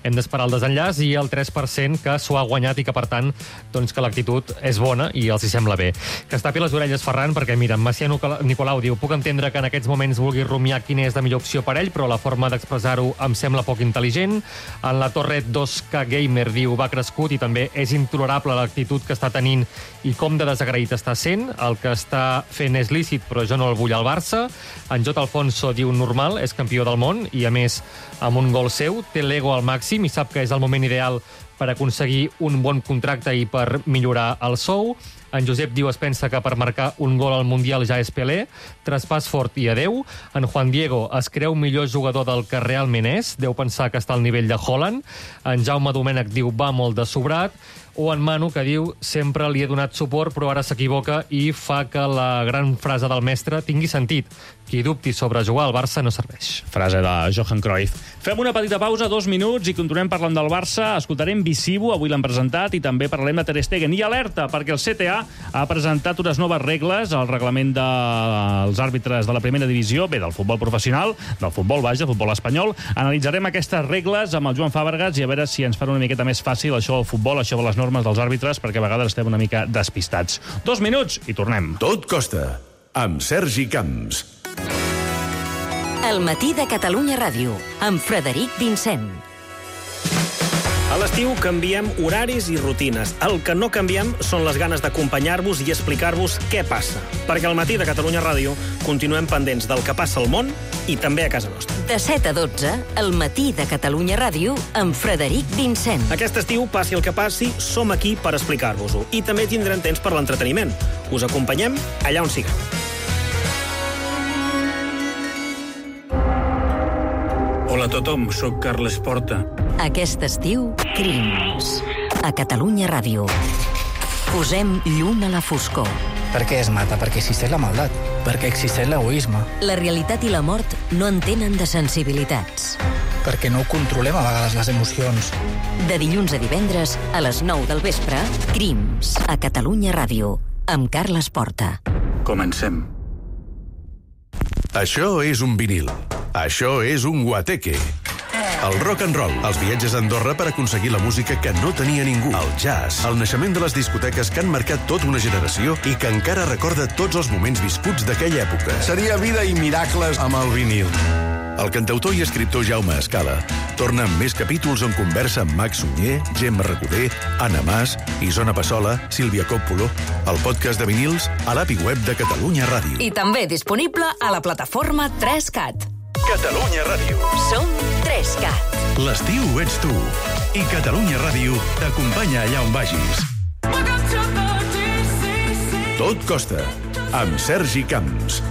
hem d'esperar el desenllaç i el tres per cent que s'ho ha guanyat i que, per tant, doncs que l'actitud és bona i els hi sembla bé. Que es tapi les orelles, Ferran, perquè, mira, Macià Nicolau diu puc entendre que en aquests moments vulgui rumiar quina és la millor opció per ell, però la forma d'expressar-ho em sembla poc intel·ligent. En la Torre dos K Gamer diu va crescut i també és intolerable l'actitud que està tenint i com de desagraït està sent. El que està fent és lícit, però jo no el vull al Barça. En J. Alfonso diu normal, és campió del món i, a més, amb un gol seu, té l'ego al màxim i sap que és el moment ideal per aconseguir un bon contracte i per millorar el sou. En Josep diu es pensa que per marcar un gol al Mundial ja és Pelé. Traspàs fort i adeu. En Juan Diego es creu millor jugador del que realment és. Deu pensar que està al nivell de Haaland. En Jaume Domènech diu va molt de sobrat. O en Manu, que diu sempre li he donat suport però ara s'equivoca i fa que la gran frase del mestre tingui sentit. Qui dubti sobre jugar al Barça no serveix. Frase de Johan Cruyff. Fem una petita pausa, dos minuts, i continuem parlant del Barça. Escoltarem Visibo, avui l'han presentat, i també parlarem de Ter Stegen. I alerta, perquè el C T A ha presentat unes noves regles al reglament dels àrbitres de la primera divisió, bé, del futbol professional, del futbol baix, del futbol espanyol. Analitzarem aquestes regles amb el Joan Fàbregas i a veure si ens fan una miqueta més fàcil això del futbol, això de les normes dels àrbitres, perquè a vegades estem una mica despistats. Dos minuts i tornem. Tot costa, amb Sergi Camps. El matí de Catalunya Ràdio, amb Frederic Vincent. A l'estiu canviem horaris i rutines. El que no canviem són les ganes d'acompanyar-vos i explicar-vos què passa. Perquè al matí de Catalunya Ràdio continuem pendents del que passa al món i també a casa nostra. De set a dotze, el matí de Catalunya Ràdio, amb Frederic Vincent. Aquest estiu, passi el que passi, som aquí per explicar-vos-ho. I també tindrem temps per l'entreteniment. Us acompanyem allà on siguem. Hola a tothom, sóc Carles Porta. Aquest estiu, Crims. A Catalunya Ràdio. Posem llum a la foscor. Per què es mata? Perquè existeix la maldat. Perquè existeix l'egoisme. La realitat i la mort no entenen de sensibilitats. Perquè no controlem a vegades les emocions. De dilluns a divendres, a les nou del vespre, Crims. A Catalunya Ràdio. Amb Carles Porta. Comencem. Això és un vinil. Això és un guateque. El rock and roll, els viatges a Andorra per aconseguir la música que no tenia ningú, el jazz, el naixement de les discoteques que han marcat tota una generació i que encara recorda tots els moments viscuts d'aquella època. Seria vida i miracles amb el vinil. El cantautor i escriptor Jaume Escala torna amb més capítols on conversa amb Max Sunyer, Gemma Recoder, Anna Mas, Isona Passola, Sílvia Còppolo, el podcast de vinils a l'A P I web de Catalunya Ràdio. I també disponible a la plataforma tres cat. Catalunya Ràdio. Som tres cat. L'estiu ets tu. I Catalunya Ràdio t'acompanya allà on vagis. Tot costa. Amb Sergi Camps.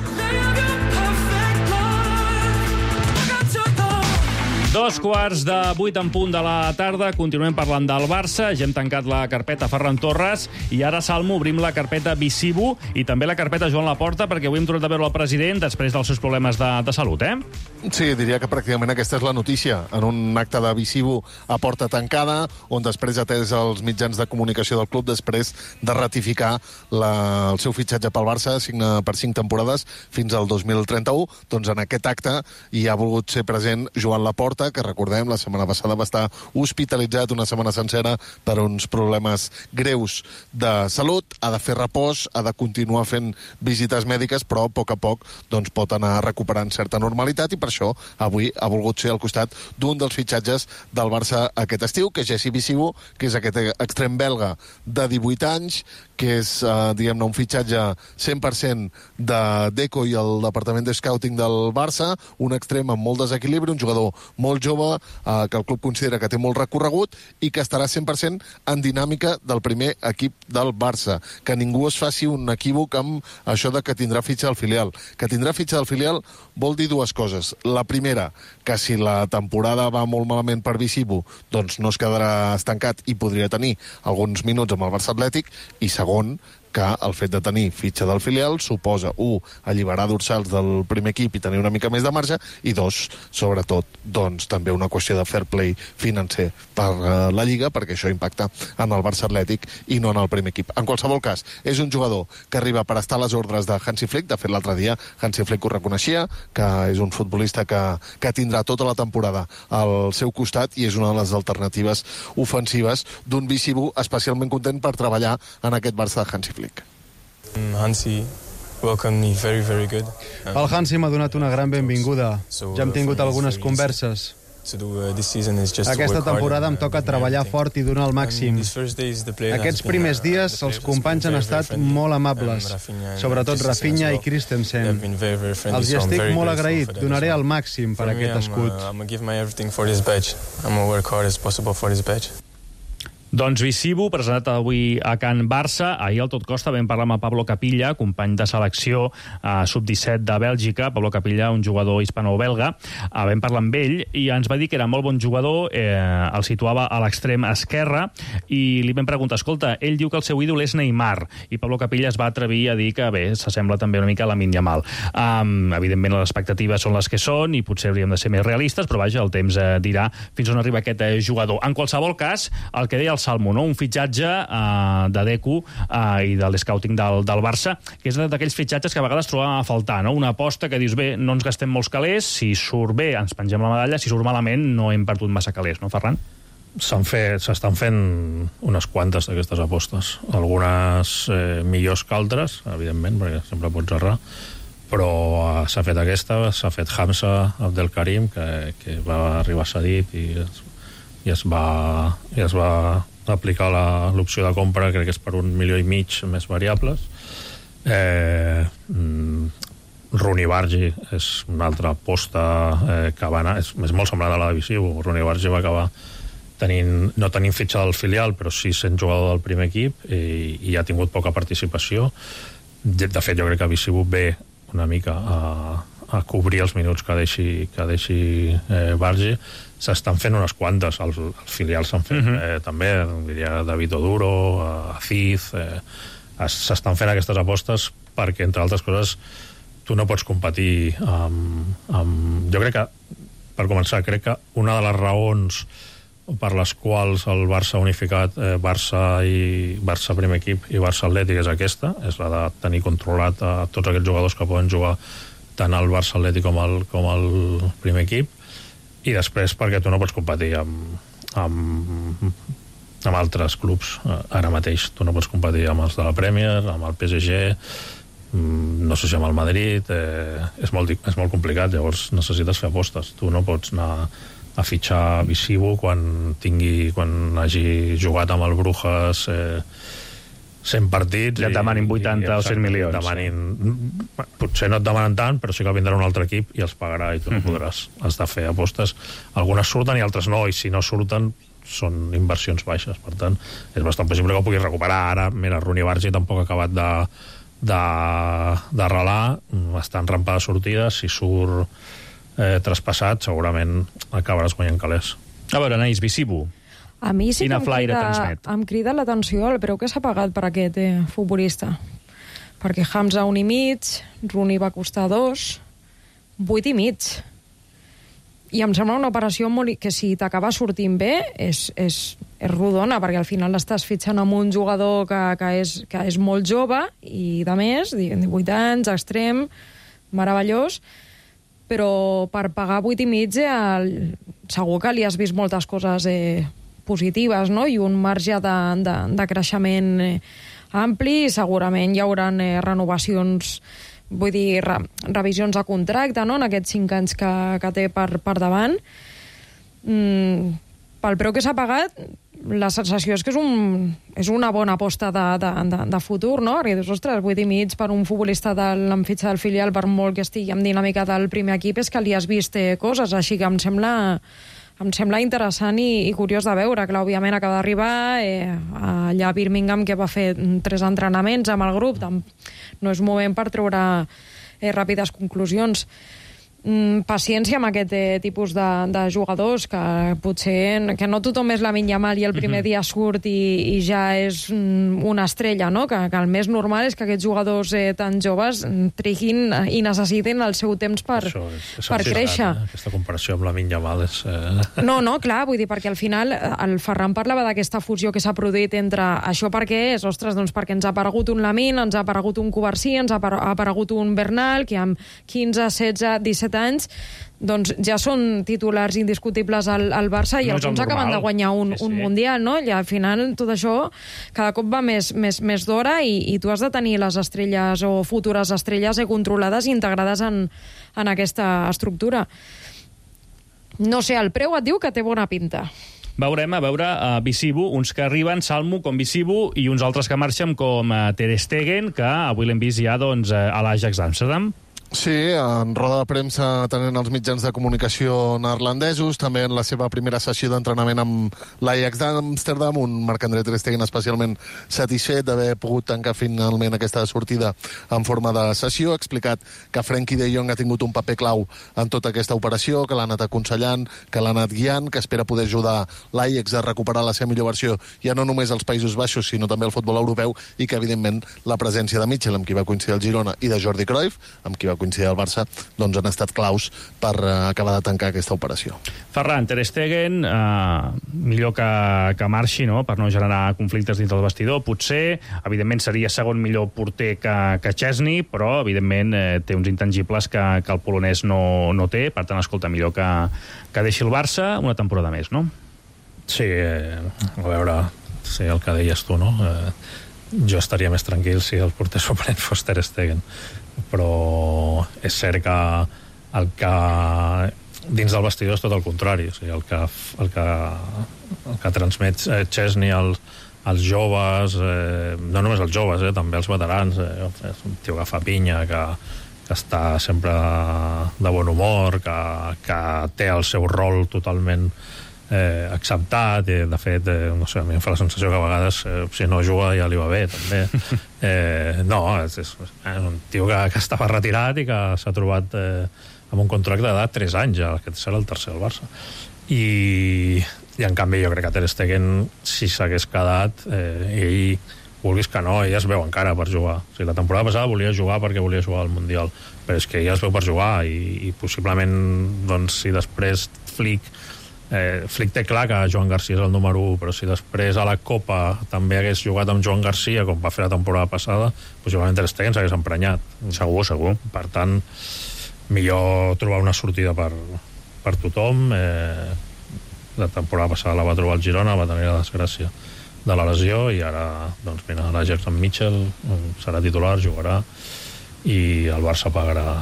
Dos quarts de vuit en punt de la tarda. Continuem parlant del Barça. Ja hem tancat la carpeta Ferran Torres i ara, Salmo, obrim la carpeta Visibu i també la carpeta Joan Laporta, perquè avui hem tornat a veure el president després dels seus problemes de, de salut, eh? Sí, diria que pràcticament aquesta és la notícia. En un acte de Visibu a porta tancada, on després ha atès els mitjans de comunicació del club després de ratificar la, el seu fitxatge pel Barça, signa per cinc temporades fins al dos mil trenta-u. Doncs en aquest acte hi ha volgut ser present Joan Laporta, que recordem, la setmana passada va estar hospitalitzat una setmana sencera per uns problemes greus de salut, ha de fer repòs, ha de continuar fent visites mèdiques, però a poc a poc doncs, pot anar recuperant certa normalitat i per això avui ha volgut ser al costat d'un dels fitxatges del Barça aquest estiu, que és Jesse Visibu, que és aquest extrem belga de divuit anys, que és, eh, diguem-ne, un fitxatge cent per cent de Deco i el departament de scouting del Barça, un extrem amb molt desequilibri, un jugador molt jove, eh, que el club considera que té molt recorregut i que estarà cent per cent en dinàmica del primer equip del Barça. Que ningú es faci un equívoc amb això de que tindrà fitxa del filial. Que tindrà fitxa del filial vol dir dues coses. La primera, que si la temporada va molt malament per Visibu, doncs no es quedarà estancat i podria tenir alguns minuts amb el Barça Atlètic, i segon, que el fet de tenir fitxa del filial suposa, un, alliberar dorsals del primer equip i tenir una mica més de marge, i dos, sobretot, doncs també una qüestió de fair play financer per uh, la Lliga, perquè això impacta en el Barça Atlètic i no en el primer equip. En qualsevol cas, és un jugador que arriba per estar a les ordres de Hansi Flick. De fet, l'altre dia Hansi Flick ho reconeixia, que és un futbolista que, que tindrà tota la temporada al seu costat i és una de les alternatives ofensives d'un Visibu especialment content per treballar en aquest Barça de Hansi Flick. Hansi welcomed me very, very good. El Hansi m'ha donat una gran benvinguda. Ja hem tingut algunes converses. Aquesta temporada em toca treballar fort i donar el màxim. Aquests primers dies els companys han estat molt amables, sobretot Rafinha i Christensen. Els hi estic molt agraït, donaré el màxim per aquest escut. Doncs Visibu, presentat avui a Can Barça. Ahir al Tot Costa vam parlar amb Pablo Capilla, company de selecció eh, sub disset de Bèlgica. Pablo Capilla, un jugador hispano-belga. Eh, vam parlar amb ell i ens va dir que era molt bon jugador, eh, el situava a l'extrem esquerre, i li vam preguntar, escolta, ell diu que el seu ídol és Neymar, i Pablo Capilla es va atrevir a dir que, bé, s'assembla també una mica a Lamine Yamal. Um, evidentment, les expectatives són les que són i potser hauríem de ser més realistes, però vaja, el temps eh, dirà fins on arriba aquest eh, jugador. En qualsevol cas, el que deia el Salmo, no? Un fitxatge uh, de Deco uh, i del scouting del, del Barça, que és d'aquells fitxatges que a vegades trobem a faltar, no? Una aposta que dius, bé, no ens gastem molts calés, si surt bé ens pengem la medalla, si surt malament no hem perdut massa calés, no, Ferran? S'han fet, s'estan fent unes quantes d'aquestes apostes. Algunes eh, millors que altres, evidentment, perquè sempre pots errar, però uh, s'ha fet aquesta, s'ha fet Hamza Abdelkarim, que, que va arribar cedit i es, i es va, i es va aplicar l'opció de compra, crec que és per un milió i mig més variables. Eh, Rooney Bargi és una altra aposta eh, que va anar, és, és molt semblant a la de Visibu. Rooney Bargi va acabar tenint, no tenint fitxa del filial, però sí sent jugador del primer equip, i, i ha tingut poca participació. De, de fet, jo crec que Visibu ve una mica a, a cobrir els minuts que deixi, que deixi eh, Bargi. S'estan fent unes quantes, els, els filials s'han fet, uh-huh. eh, també, diria David Oduro, Aziz, eh, s'estan fent aquestes apostes perquè, entre altres coses, tu no pots competir amb, amb... Jo crec que, per començar, crec que una de les raons per les quals el Barça ha unificat eh, Barça i Barça primer equip i Barça Atlètic és aquesta, és la de tenir controlat a tots aquests jugadors que poden jugar tant al Barça Atlètic com al, com al primer equip. i després perquè tu no pots competir amb, amb, amb altres clubs ara mateix. Tu no pots competir amb els de la Premier, amb el P S G, no sé si amb el Madrid, eh, és, molt, és molt complicat, llavors necessites fer apostes. Tu no pots anar a fitxar Visivo quan tingui, quan hagi jugat amb el Brujas eh, cent partits ja et demanin vuitanta o cent milions. Demanin, potser no et demanen tant, però sí que vindrà un altre equip i els pagarà i tu no podràs. Has de fer apostes. Algunes surten i altres no, i si no surten són inversions baixes. Per tant, és bastant possible que ho puguis recuperar. Ara, mira, Rooney Bargi tampoc ha acabat de d'arrelar, està en rampa de sortida. Si surt eh, traspassat, segurament acabaràs guanyant calés. A veure, Anaïs, Visivo. A mi sí Quina que em flaire crida, transmet? em crida l'atenció el preu que s'ha pagat per aquest eh, futbolista. Perquè Hamza un i mig, Rooney va costar dos, vuit i mig. I em sembla una operació molt, que si t'acaba sortint bé és, és, és rodona, perquè al final estàs fitxant amb un jugador que, que, és, que és molt jove i de més, divuit anys, extrem, meravellós, però per pagar vuit i mig eh, segur que li has vist moltes coses eh, positives, no? I un marge de, de, de creixement eh, ampli, i segurament hi haurà eh, renovacions, vull dir, re, revisions de contracte, no?, en aquests cinc anys que, que té per, per davant. Mm, pel preu que s'ha pagat, la sensació és que és, un, és una bona aposta de, de, de, de futur, no? Perquè dius, ostres, vuit i mig per un futbolista de l'enfitxa del filial, per molt que estigui amb dinàmica del primer equip, és que li has vist eh, coses, així que em sembla... em sembla interessant i, i curiós de veure. Clar, òbviament acaba d'arribar eh, allà a Birmingham, que va fer tres entrenaments amb el grup. No és moment per treure eh, ràpides conclusions. Mm, paciència amb aquest eh, tipus de, de jugadors, que potser que no tothom és Lamine Yamal i el primer mm-hmm. dia surt i, i ja és mm, una estrella, no? Que, que el més normal és que aquests jugadors eh, tan joves triguin i necessitin el seu temps per, Això és, és per créixer. Eh? Aquesta comparació amb Lamine Yamal és... Eh... No, no, clar, vull dir, perquè al final el Ferran parlava d'aquesta fusió que s'ha produït entre això perquè és, ostres, doncs perquè ens ha aparegut un Lamine, ens ha aparegut un Covarsí, ens ha aparegut un Bernal, que amb quinze, setze, disset anys doncs ja són titulars indiscutibles al, al Barça i no alguns acaben de guanyar un, sí, sí. un Mundial, no? I al final tot això cada cop va més, més, més d'hora i, i tu has de tenir les estrelles o futures estrelles eh, controlades i integrades en, en aquesta estructura. No sé, el preu et diu que té bona pinta. Veurem, a veure, uh, Visivo, uns que arriben, Salmo, com Visivo, i uns altres que marxen, com uh, Ter Stegen, que avui l'hem vist ja doncs, uh, a l'Ajax d'Amsterdam. Sí, en roda de premsa tenint els mitjans de comunicació neerlandesos, també en la seva primera sessió d'entrenament amb l'Ajax d'Amsterdam, un Marc-André Ter Stegen especialment satisfet d'haver pogut tancar finalment aquesta sortida en forma de sessió. Ha explicat que Frenkie de Jong ha tingut un paper clau en tota aquesta operació, que l'ha anat aconsellant, que l'ha anat guiant, que espera poder ajudar l'Ajax a recuperar la seva millor versió, ja no només als Països Baixos, sinó també al futbol europeu, i que, evidentment, la presència de Mitchell, amb qui va coincidir el Girona, i de Jordi Cruyff, amb qui va coincidir al Barça, doncs han estat claus per uh, acabar de tancar aquesta operació. Ferran, Ter Stegen, uh, millor que, que marxi, no?, per no generar conflictes dins del vestidor. Potser, evidentment, seria segon millor porter que, que Chesney, però, evidentment, eh, té uns intangibles que, que el polonès no, no té. Per tant, escolta, millor que, que deixi el Barça una temporada més, no? Sí, eh, a veure, sí, el que deies tu, no? Eh, jo estaria més tranquil si el porter suplent fos Ter Stegen, però és cert que el que dins del vestidor és tot el contrari, o sigui, el que, el que, el que transmet Chesney als, als joves, eh, no només als joves, eh, també als veterans, eh, és un tio que fa pinya, que, que està sempre de bon humor, que, que té el seu rol totalment eh, acceptat, i de fet eh, no sé, a mi em fa la sensació que a vegades eh, si no juga ja li va bé també. eh, no, és, és, és un tio que, que estava retirat i que s'ha trobat eh, amb un contracte d'edat tres anys ja, que serà el tercer del Barça, i, i en canvi jo crec que Ter Stegen, si s'hagués quedat, eh, ell vulguis que no, ell es veu encara per jugar. O sigui, la temporada passada volia jugar perquè volia jugar al Mundial, però és que ell es veu per jugar, i, i possiblement doncs, si després Flick Eh, Flick té clar que Joan Garcia és el número u, però si després a la Copa també hagués jugat amb Joan Garcia, com va fer la temporada passada, possiblement Ter Stegen s'hagués emprenyat. Segur, segur. Per tant, millor trobar una sortida per, per tothom. Eh, la temporada passada la va trobar el Girona, va tenir la desgràcia de la lesió, i ara, doncs mira, la Jackson Mitchell serà titular, jugarà, i el Barça pagarà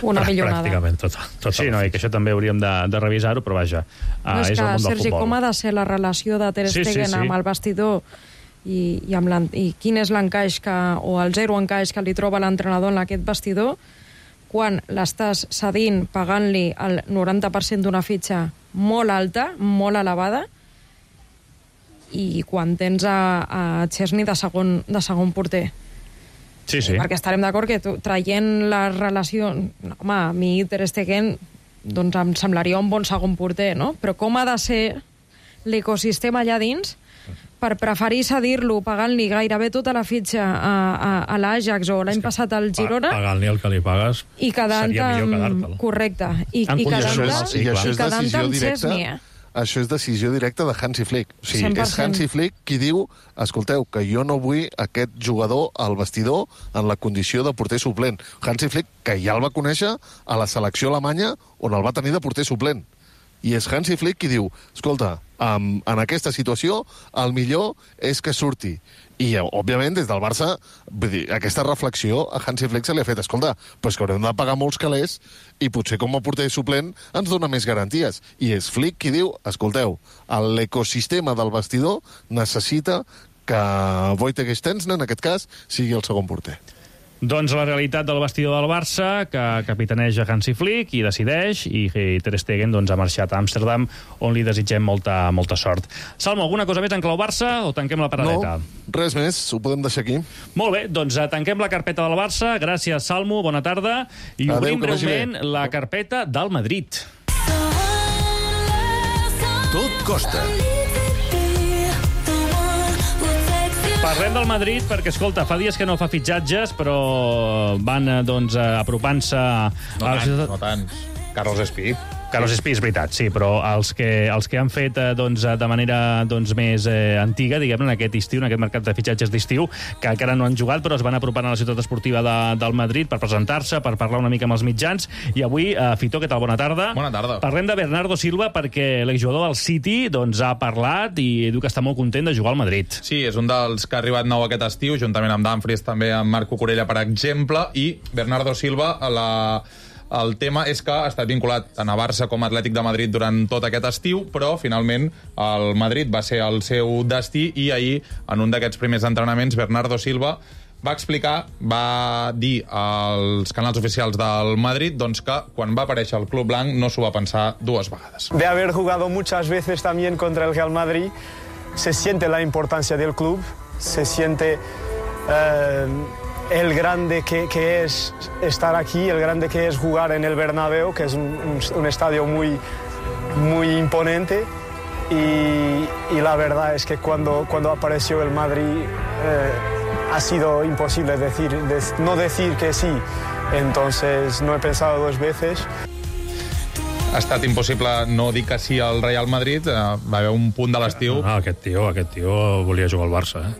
una millonada. Pràcticament tota, tota sí, no, i que això també hauríem de, de revisar-ho, però vaja, no, és, és que, el món del Sergi, futbol. Com ha de ser la relació de Ter Stegen sí, sí, sí. amb el vestidor i, i, amb i quin és l'encaix que, o el zero encaix que li troba l'entrenador en aquest vestidor quan l'estàs cedint pagant-li el noranta per cent d'una fitxa molt alta, molt elevada, i quan tens a, a Chesney de segon, de segon porter. Sí, sí. Perquè estarem d'acord que tu, traient la relació... No, home, a mi Ter Stegen doncs em semblaria un bon segon porter, no? Però com ha de ser l'ecosistema allà dins per preferir cedir-lo pagant-li gairebé tota la fitxa a, a, a l'Ajax o l'any passat al Girona... Pagant-li el que li pagues i seria millor quedar-te'l. Correcte. I, i quedant-te amb Chesney, eh? Això és decisió directa de Hansi Flick. O sigui, és Hansi Flick qui diu, escolteu, que jo no vull aquest jugador al vestidor en la condició de porter suplent. Hansi Flick, que ja el va conèixer a la selecció alemanya, on el va tenir de porter suplent. I és Hansi Flick qui diu, escolta, en, en aquesta situació, el millor és que surti. I, òbviament, des del Barça, vull dir, aquesta reflexió a Hansi Flick se li ha fet, escolta, però és que haurem de pagar molts calés i potser com a porter suplent ens dona més garanties. I és Flick qui diu, escolteu, l'ecosistema del vestidor necessita que Wojtek Szczęsny, en aquest cas, sigui el segon porter. Doncs la realitat del vestidor del Barça, que capitaneja Hansi Flick i decideix, i Ter Stegen doncs, ha marxat a Amsterdam, on li desitgem molta, molta sort. Salmo, alguna cosa més en clau Barça o tanquem la paradeta? No, res més, ho podem deixar aquí. Molt bé, doncs tanquem la carpeta del Barça. Gràcies, Salmo, bona tarda. I Adeu, obrim breument la carpeta del Madrid. Tot costa. Parlem del Madrid perquè, escolta, fa dies que no fa fitxatges, però van doncs, apropant-se... No tants, no tants. Carlos Espí. Carlos Espí, és veritat, sí, però els que, els que han fet doncs, de manera doncs, més eh, antiga, diguem-ne, en aquest estiu, en aquest mercat de fitxatges d'estiu, que encara no han jugat, però es van apropant a la ciutat esportiva de, del Madrid per presentar-se, per parlar una mica amb els mitjans. I avui, eh, Fito, què tal? Bona tarda. Bona tarda. Parlem de Bernardo Silva perquè l'exjugador del City doncs, ha parlat i diu que està molt content de jugar al Madrid. Sí, és un dels que ha arribat nou aquest estiu, juntament amb Dumfries, també amb Marco Corella, per exemple, i Bernardo Silva, la... El tema és que ha estat vinculat tant a Barça com a Atlètic de Madrid durant tot aquest estiu, però finalment el Madrid va ser el seu destí i ahir, en un d'aquests primers entrenaments, Bernardo Silva va explicar, va dir als canals oficials del Madrid doncs, que quan va aparèixer el Club Blanc no s'ho va pensar dues vegades. De haber jugado muchas veces también contra el Real Madrid, se siente la importancia del club, se siente... Eh, el grande que, que es estar aquí, el grande que es jugar en el Bernabéu, que es un, un, un estadio muy, muy imponente. Y, y la verdad es que cuando, cuando apareció el Madrid eh, ha sido imposible decir, de, no decir que sí. Entonces no he pensado dos veces. Ha estat impossible no dir que sí al Real Madrid. Va haver un punt de l'estiu... No, aquest tio, aquest tio volia jugar al Barça, eh?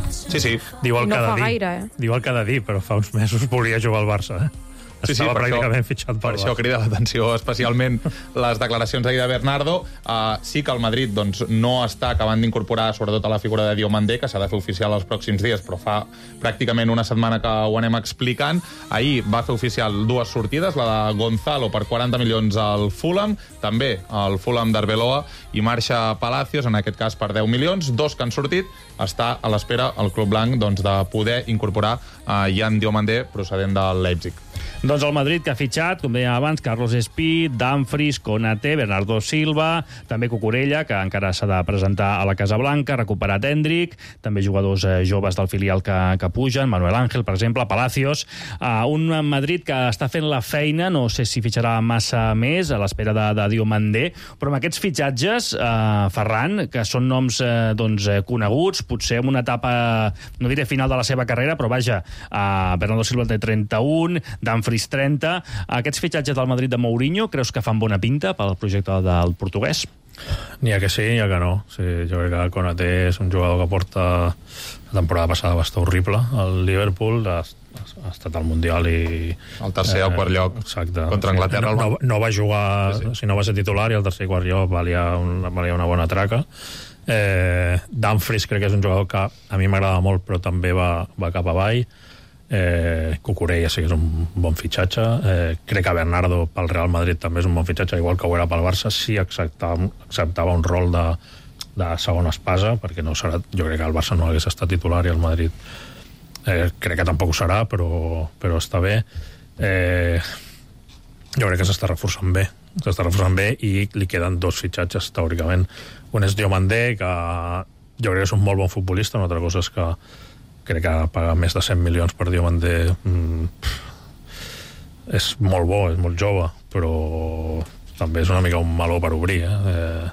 Sí, sí. Diu el no que ha de dir. Gaire, eh? Diu el que ha de dir, però fa uns mesos volia jugar al Barça, eh? Sí, sí, Estava per pràcticament això, fitxat pel per Barça. això crida l'atenció especialment les declaracions ahir de Bernardo. Uh, sí que el Madrid doncs, no està acabant d'incorporar sobretot a la figura de Diomandé, que s'ha de fer oficial els pròxims dies, però fa pràcticament una setmana que ho anem explicant. Ahir va fer oficial dues sortides, la de Gonzalo per quaranta milions al Fulham, també al Fulham d'Arbeloa, i marxa Palacios, en aquest cas per deu milions, dos que han sortit. Està a l'espera el Club Blanc doncs, de poder incorporar uh, Jan Diomandé, procedent del Leipzig. Doncs el Madrid, que ha fitxat, com dèiem abans, Carlos Espí, Dumfries, Konaté, Bernardo Silva, també Cucurella, que encara s'ha de presentar a la Casa Blanca, recuperat Hendrik, també jugadors eh, joves del filial que, que pugen, Manuel Ángel, per exemple, Palacios. Uh, un Madrid que està fent la feina, no sé si fitxarà massa més, a l'espera de, de Diomandé, però amb aquests fitxatges, uh, Ferran, que són noms uh, doncs, coneguts, potser en una etapa, no diré final de la seva carrera, però vaja, uh, Bernardo Silva té trenta-un, Dumfries trenta. Aquests fitxatges del Madrid de Mourinho creus que fan bona pinta pel projecte del portuguès? N'hi ha que sí, n'hi ha que no. Sí, jo crec que Konaté és un jugador que porta la temporada passada va estar horrible al Liverpool, ha estat al Mundial i... El tercer o eh, quart lloc exacte, contra Anglaterra. No, no, no va jugar, sí, sí. Si no va ser titular, i el tercer i quart lloc valia, un, valia una bona traca. Eh, Dumfries crec que és un jugador que a mi m'agrada molt, però també va, va cap avall. Eh, Cucurella sí que és un bon fitxatge. Eh, crec que Bernardo pel Real Madrid també és un bon fitxatge, igual que ho era pel Barça. Sí acceptava, acceptava un rol de, de segona espasa, perquè no serà, jo crec que el Barça no hagués estat titular i el Madrid eh, crec que tampoc ho serà, però, però està bé. Eh, jo crec que s'està reforçant bé s'està reforçant bé i li queden dos fitxatges teòricament. Un és Diomandé, que jo crec que és un molt bon futbolista, una altra cosa és que crec que pagar més de cent milions per Diomandé mm, és molt bo, és molt jove, però també és una mica un meló per obrir, eh? Eh,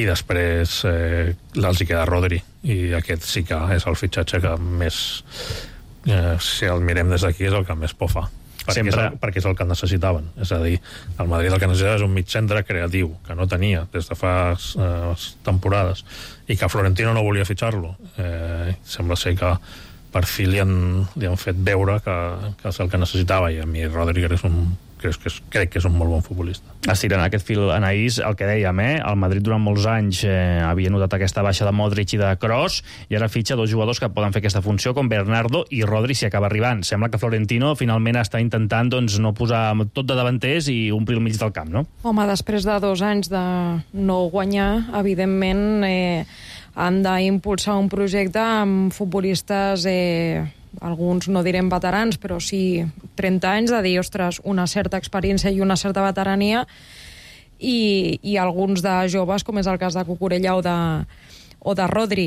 i després eh, els hi queda Rodri, i aquest sí que és el fitxatge que més eh, si el mirem des d'aquí és el que més por fa, perquè, Sempre... és el, perquè és el que necessitaven. És a dir, el Madrid el que necessitava és un migcentre creatiu, que no tenia des de fa eh, temporades, i que Florentino no volia fitxar-lo. Eh, sembla ser que per fi li han, li han fet veure que, que és el que necessitava, i a mi Rodri és un crec que, és, crec que és un molt bon futbolista. Estirant aquest fil, Anaïs, el que dèiem, eh? El Madrid durant molts anys eh, havia notat aquesta baixa de Modric i de Kroos, i ara fitxa dos jugadors que poden fer aquesta funció, com Bernardo i Rodri, si acaba arribant. Sembla que Florentino finalment està intentant doncs, no posar tot de davanters i omplir el mig del camp, no? Home, després de dos anys de no guanyar, evidentment eh, han d'impulsar un projecte amb futbolistes... Eh, alguns no direm veterans, però sí trenta anys, de dir, ostres, una certa experiència i una certa veterania, i, i alguns de joves, com és el cas de Cucurella o de, o de Rodri.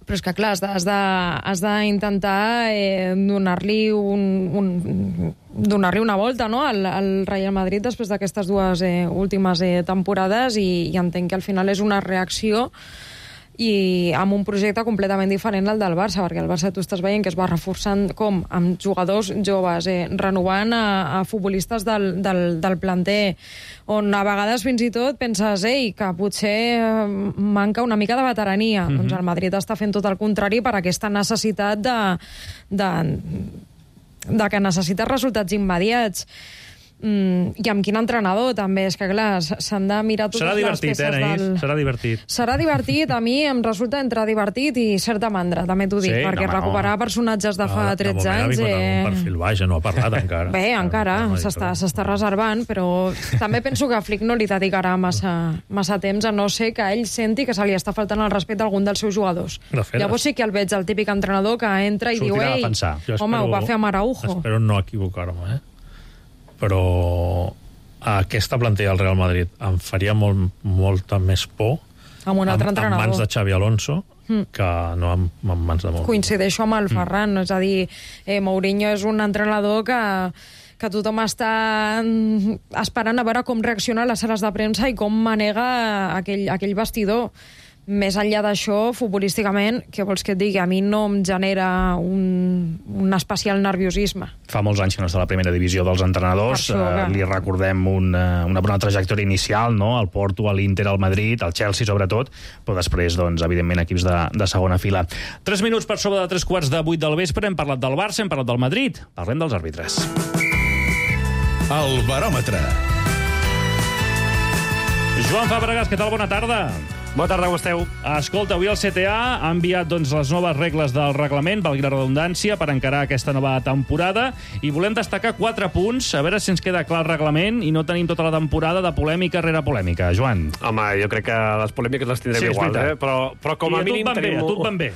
Però és que, clar, has d'intentar eh, donar-li un, un, donar-li una volta, no?, al, al Real Madrid després d'aquestes dues eh, últimes eh, temporades, i, i entenc que al final és una reacció i amb un projecte completament diferent al del Barça, perquè el Barça tu estàs veient que es va reforçant com amb jugadors joves, eh, renovant a, a futbolistes del, del, del planter, on a vegades fins i tot penses ei, que potser eh, manca una mica de veterania. Mm-hmm. Doncs el Madrid està fent tot el contrari per aquesta necessitat de, de, de que necessita resultats immediats. Mm, i amb quin entrenador també, és que clar, s'han de mirar totes serà les peces eh, del... serà divertit serà divertit, a mi em resulta entre divertit i certa mandra, també t'ho dic, sí, perquè no, recuperar no. personatges de fa no, tretze de anys eh... un perfil baix, no ha parlat encara bé, encara, s'està no reservant, però també penso que a Flick no li dedicarà massa, massa temps, a no ser que ell senti que se li està faltant el respecte a algun dels seus jugadors. Llavors sí que el veig el típic entrenador que entra i diu ei, home, ho va fer amb Araujo. Espero no equivocar-me, eh? Però aquesta plantilla del Real Madrid em faria molt, molta més por amb un altre en, entrenador. En mans de Xavi Alonso mm. que no en, en mans de Mourinho. Coincideixo amb el Ferran, mm. és a dir, eh, Mourinho és un entrenador que, que tothom està esperant a veure com reacciona a les sales de premsa i com manega aquell, aquell vestidor. Més enllà d'això, futbolísticament, què vols que et digui? A mi no em genera un, un especial nerviosisme. Fa molts anys que no està a la primera divisió dels entrenadors. Això, eh, li recordem una, una bona trajectòria inicial, no? El Porto, l'Inter, el Madrid, el Chelsea, sobretot, però després, doncs, evidentment, equips de, de segona fila. Tres minuts per sobre de tres quarts de vuit del vespre. Hem parlat del Barça, hem parlat del Madrid. Parlem dels àrbitres. El baròmetre. Joan Fabregas, què tal? Bona tarda. Bona tarda, com esteu? Escolta, avui el C T A ha enviat doncs, les noves regles del reglament, valgui la redundància, per encarar aquesta nova temporada, i volem destacar quatre punts, a veure si ens queda clar el reglament i no tenim tota la temporada de polèmica rere polèmica. Joan. Home, jo crec que les polèmiques les tindrem sí, igual, eh? però, però com a, a mínim tenim... Bé, a tu et van bé.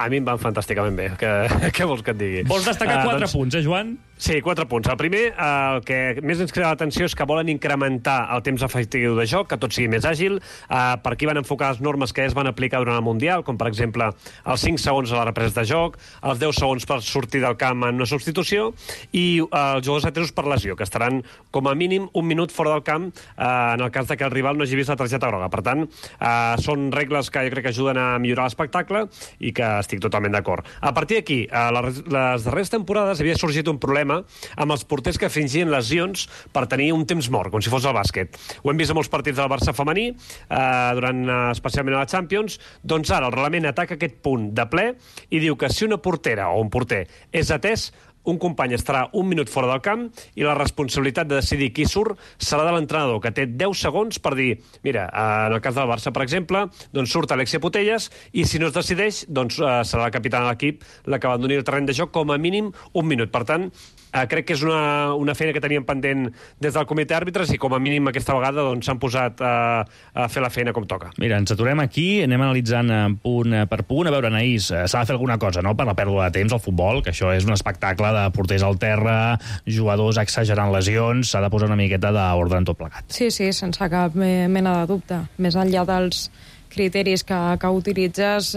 A mi em van fantàsticament bé. Que, què vols que et digui? Vols destacar uh, quatre doncs, punts, eh, Joan? Sí, quatre punts. El primer, eh, el que més ens crida l'atenció és que volen incrementar el temps efectiu de joc, que tot sigui més àgil. Eh, per aquí van enfocar les normes que ja es van aplicar durant el Mundial, com per exemple els cinc segons a la represa de joc, els deu segons per sortir del camp en una substitució, i eh, els jugadors atesos per lesió, que estaran com a mínim un minut fora del camp eh, en el cas de que el rival no hagi vist la targeta groga. Per tant, eh, són regles que jo crec que ajuden a millorar l'espectacle i que estic totalment d'acord. A partir d'aquí, a les, les darreres temporades havia sorgit un problema amb els porters que fingien lesions per tenir un temps mort, com si fos el bàsquet. Ho hem vist a molts partits del Barça femení, eh, durant especialment a la Champions, doncs ara el reglament ataca aquest punt de ple i diu que si una portera o un porter és atès, un company estarà un minut fora del camp i la responsabilitat de decidir qui surt serà de l'entrenador, que té deu segons per dir, mira, en el cas del Barça, per exemple, doncs surt Alexia Putellas i si no es decideix, doncs serà la capitana de l'equip la que abandoni el terreny de joc com a mínim un minut. Per tant, eh, crec que és una, una feina que teníem pendent des del comitè d'àrbitres i com a mínim aquesta vegada doncs, s'han posat a, a fer la feina com toca. Mira, ens aturem aquí, anem analitzant punt per punt. A veure, Anaïs, s'ha de fer alguna cosa, no?, per la pèrdua de temps al futbol, que això és un espectacle de porters al terra, jugadors exagerant lesions, s'ha de posar una miqueta d'ordre en tot plegat. Sí, sí, sense cap mena de dubte. Més enllà dels criteris que, que utilitzes,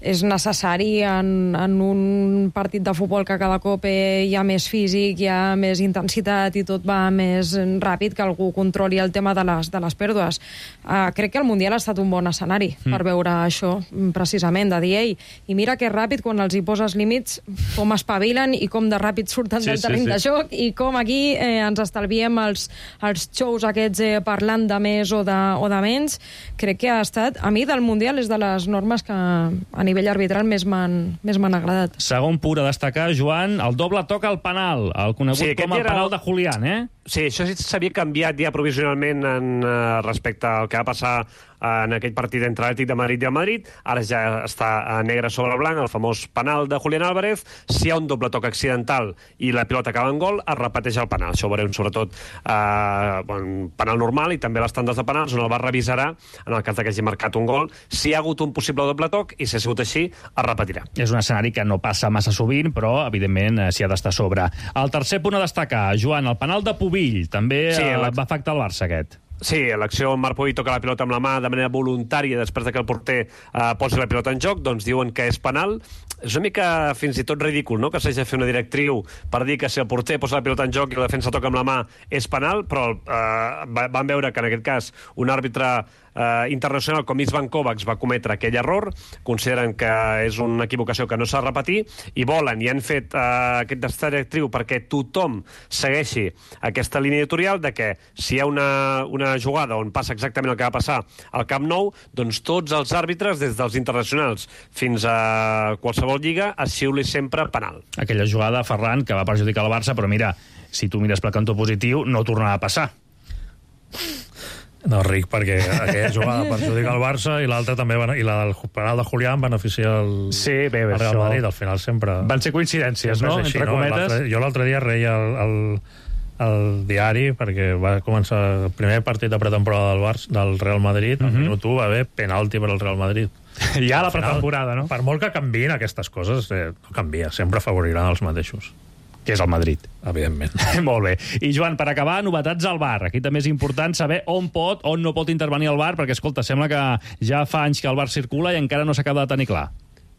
és necessari en, en un partit de futbol que cada cop hi ha més físic, hi ha més intensitat i tot va més ràpid, que algú controli el tema de les, de les pèrdues. Uh, crec que el Mundial ha estat un bon escenari mm. per veure això, precisament, de dir, ei, i mira que ràpid, quan els hi poses límits, com espavilen i com de ràpid surten sí, del terreny sí, sí. de joc, i com aquí eh, ens estalviem els, els shows aquests eh, parlant de més o de, o de menys. Crec que ha estat, a mi del Mundial és de les normes que a nivell arbitral més m'han agradat. Segon punt a destacar, Joan, el doble toc al penal, el conegut sí, com el era... penal de Julián, eh? Sí, això sí s'havia canviat ja provisionalment en, uh, respecte al que va passar en aquell partit entre l'Atlètic de Madrid i el Madrid. Ara ja està negre sobre blanc, el famós penal de Julián Álvarez. Si hi ha un doble toc accidental i la pilota acaba en gol, es repeteix el penal. Això ho veurem sobretot eh, bon, penal normal i també les tandes de penals, on el V A R revisarà, en el cas que hagi marcat un gol, si hi ha hagut un possible doble toc, i si ha sigut així, es repetirà. És un escenari que no passa massa sovint, però, evidentment, s'hi ha d'estar a sobre. El tercer punt a destacar, Joan, el penal de Pubill, també sí, eh, la... va afectar el Barça, aquest. Sí, l'acció on Marc Pubill toca la pilota amb la mà de manera voluntària després de que el porter eh, posi la pilota en joc, doncs diuen que és penal. És una mica fins i tot ridícul, no?, que s'hagi de fer una directriu per dir que si el porter posa la pilota en joc i la defensa toca amb la mà és penal, però eh, van veure que en aquest cas un àrbitre eh, internacional com Isvan Kovacs va cometre aquell error, consideren que és una equivocació que no s'ha de repetir i volen i han fet eh, aquesta directriu perquè tothom segueixi aquesta línia editorial de que si hi ha una, una jugada on passa exactament el que va passar al Camp Nou, doncs tots els àrbitres, des dels internacionals fins a qualsevol lliga, es xiuli sempre penal. Aquella jugada, Ferran, que va perjudicar el Barça, però mira, si tu mires pel cantó positiu, no tornarà a passar. No, Ric, perquè aquella jugada perjudica el Barça i l'altra també, i la del penal de Julián beneficia el, sí, bé, bé, el Real això... Madrid. Al final sempre... Van ser coincidències, no? Així, entre no? cometes. Jo l'altre dia reia el, el, el diari perquè va començar el primer partit de pretemporada del Barça, del Real Madrid, al uh -huh. minut u va haver penalti per al Real Madrid. Ja la pretemporada, no? Per molt que canviïn aquestes coses, eh, no canvia, sempre afavoriran els mateixos. Que és el Madrid. Evidentment. Molt bé. I, Joan, per acabar, novetats al V A R. Aquí també és important saber on pot, on no pot intervenir el V A R, perquè, escolta, sembla que ja fa anys que el V A R circula i encara no s'acaba de tenir clar.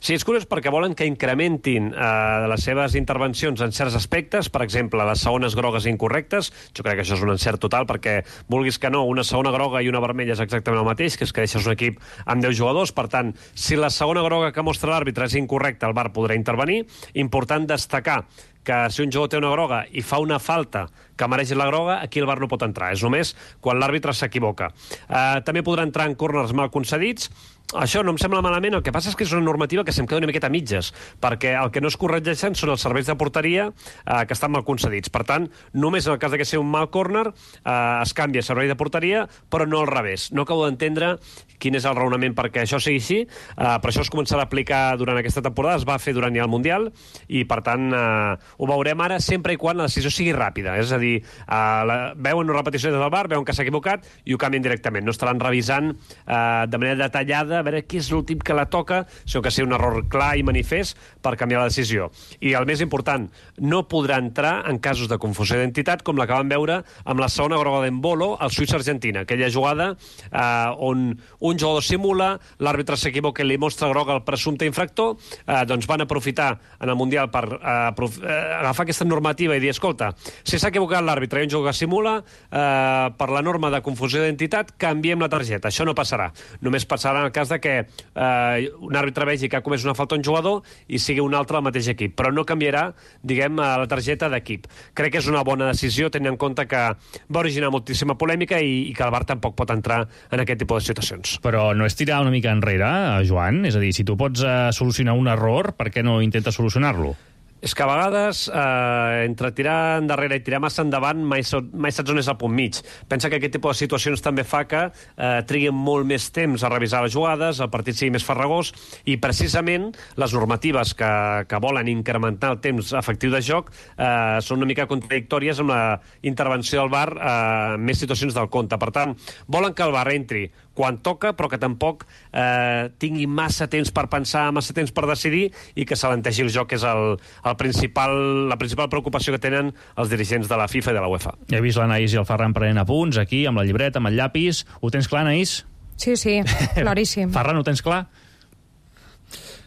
Sí, és curiós perquè volen que incrementin eh, les seves intervencions en certs aspectes, per exemple, les segones grogues incorrectes. Jo crec que això és un encert total perquè, vulguis que no, una segona groga i una vermella és exactament el mateix, que és que deixes un equip amb deu jugadors. Per tant, si la segona groga que mostra l'àrbitre és incorrecta, el V A R podrà intervenir. Important destacar que si un jugador té una groga i fa una falta que mereix la groga, aquí el V A R no pot entrar. És només quan l'àrbitre s'equivoca. Eh, també podrà entrar en córners mal concedits. Això no em sembla malament, el que passa és que és una normativa que se'm queda una miqueta a mitges, perquè el que no es corregeixen són els serveis de porteria eh, que estan mal concedits. Per tant, només en el cas de que sigui un mal córner eh, es canvia servei de porteria, però no al revés. No acabo d'entendre quin és el raonament perquè això sigui així, eh, però això es començarà a aplicar durant aquesta temporada, es va fer durant ja el Mundial, i per tant eh, ho veurem ara sempre i quan la decisió sigui ràpida. És a dir, eh, la, veuen una repetició des del V A R, veuen que s'ha equivocat i ho canvien directament. No estaran revisant eh, de manera detallada a veure qui és l'últim que la toca, sinó que sigui un error clar i manifest per canviar la decisió. I el més important, no podrà entrar en casos de confusió d'identitat com la que vam veure amb la segona groga d'Embolo al Suïssa-Argentina, aquella jugada eh, on un jugador simula, l'àrbitre s'equivoca i li mostra groga al presumpte infractor, eh, doncs van aprofitar en el Mundial per eh, eh, agafar aquesta normativa i dir, escolta, si s'ha equivocat l'àrbitre i un jugador que simula, eh, per la norma de confusió d'identitat, canviem la targeta. Això no passarà. Només passarà en el cas de que eh, un àrbitre vegi que ha comès una falta a un jugador i sigui un altre del mateix equip, però no canviarà, diguem, la targeta d'equip. Crec que és una bona decisió, tenint en compte que va originar moltíssima polèmica i, i que el V A R tampoc pot entrar en aquest tipus de situacions. Però no és tirar una mica enrere, Joan? És a dir, si tu pots eh, solucionar un error, per què no intentes solucionar-lo? És que a vegades, eh, entre tirar endarrere i tirar massa endavant, mai, so, mai saps on és el punt mig. Pensa que aquest tipus de situacions també fa que eh, triguin molt més temps a revisar les jugades, el partit sigui més farragós, i precisament les normatives que, que volen incrementar el temps efectiu de joc eh, són una mica contradictòries amb la intervenció del V A R eh, en més situacions del compte. Per tant, volen que el V A R entri quan toca, però que tampoc eh, tingui massa temps per pensar, massa temps per decidir, i que s'alenteixi el joc, que és el, el principal, la principal preocupació que tenen els dirigents de la FIFA i de la UEFA. He vist l'Anaïs i el Ferran prenent apunts aquí, amb la llibreta, amb el llapis. Ho tens clar, Anaïs? Sí, sí, claríssim. Ferran, ho tens clar?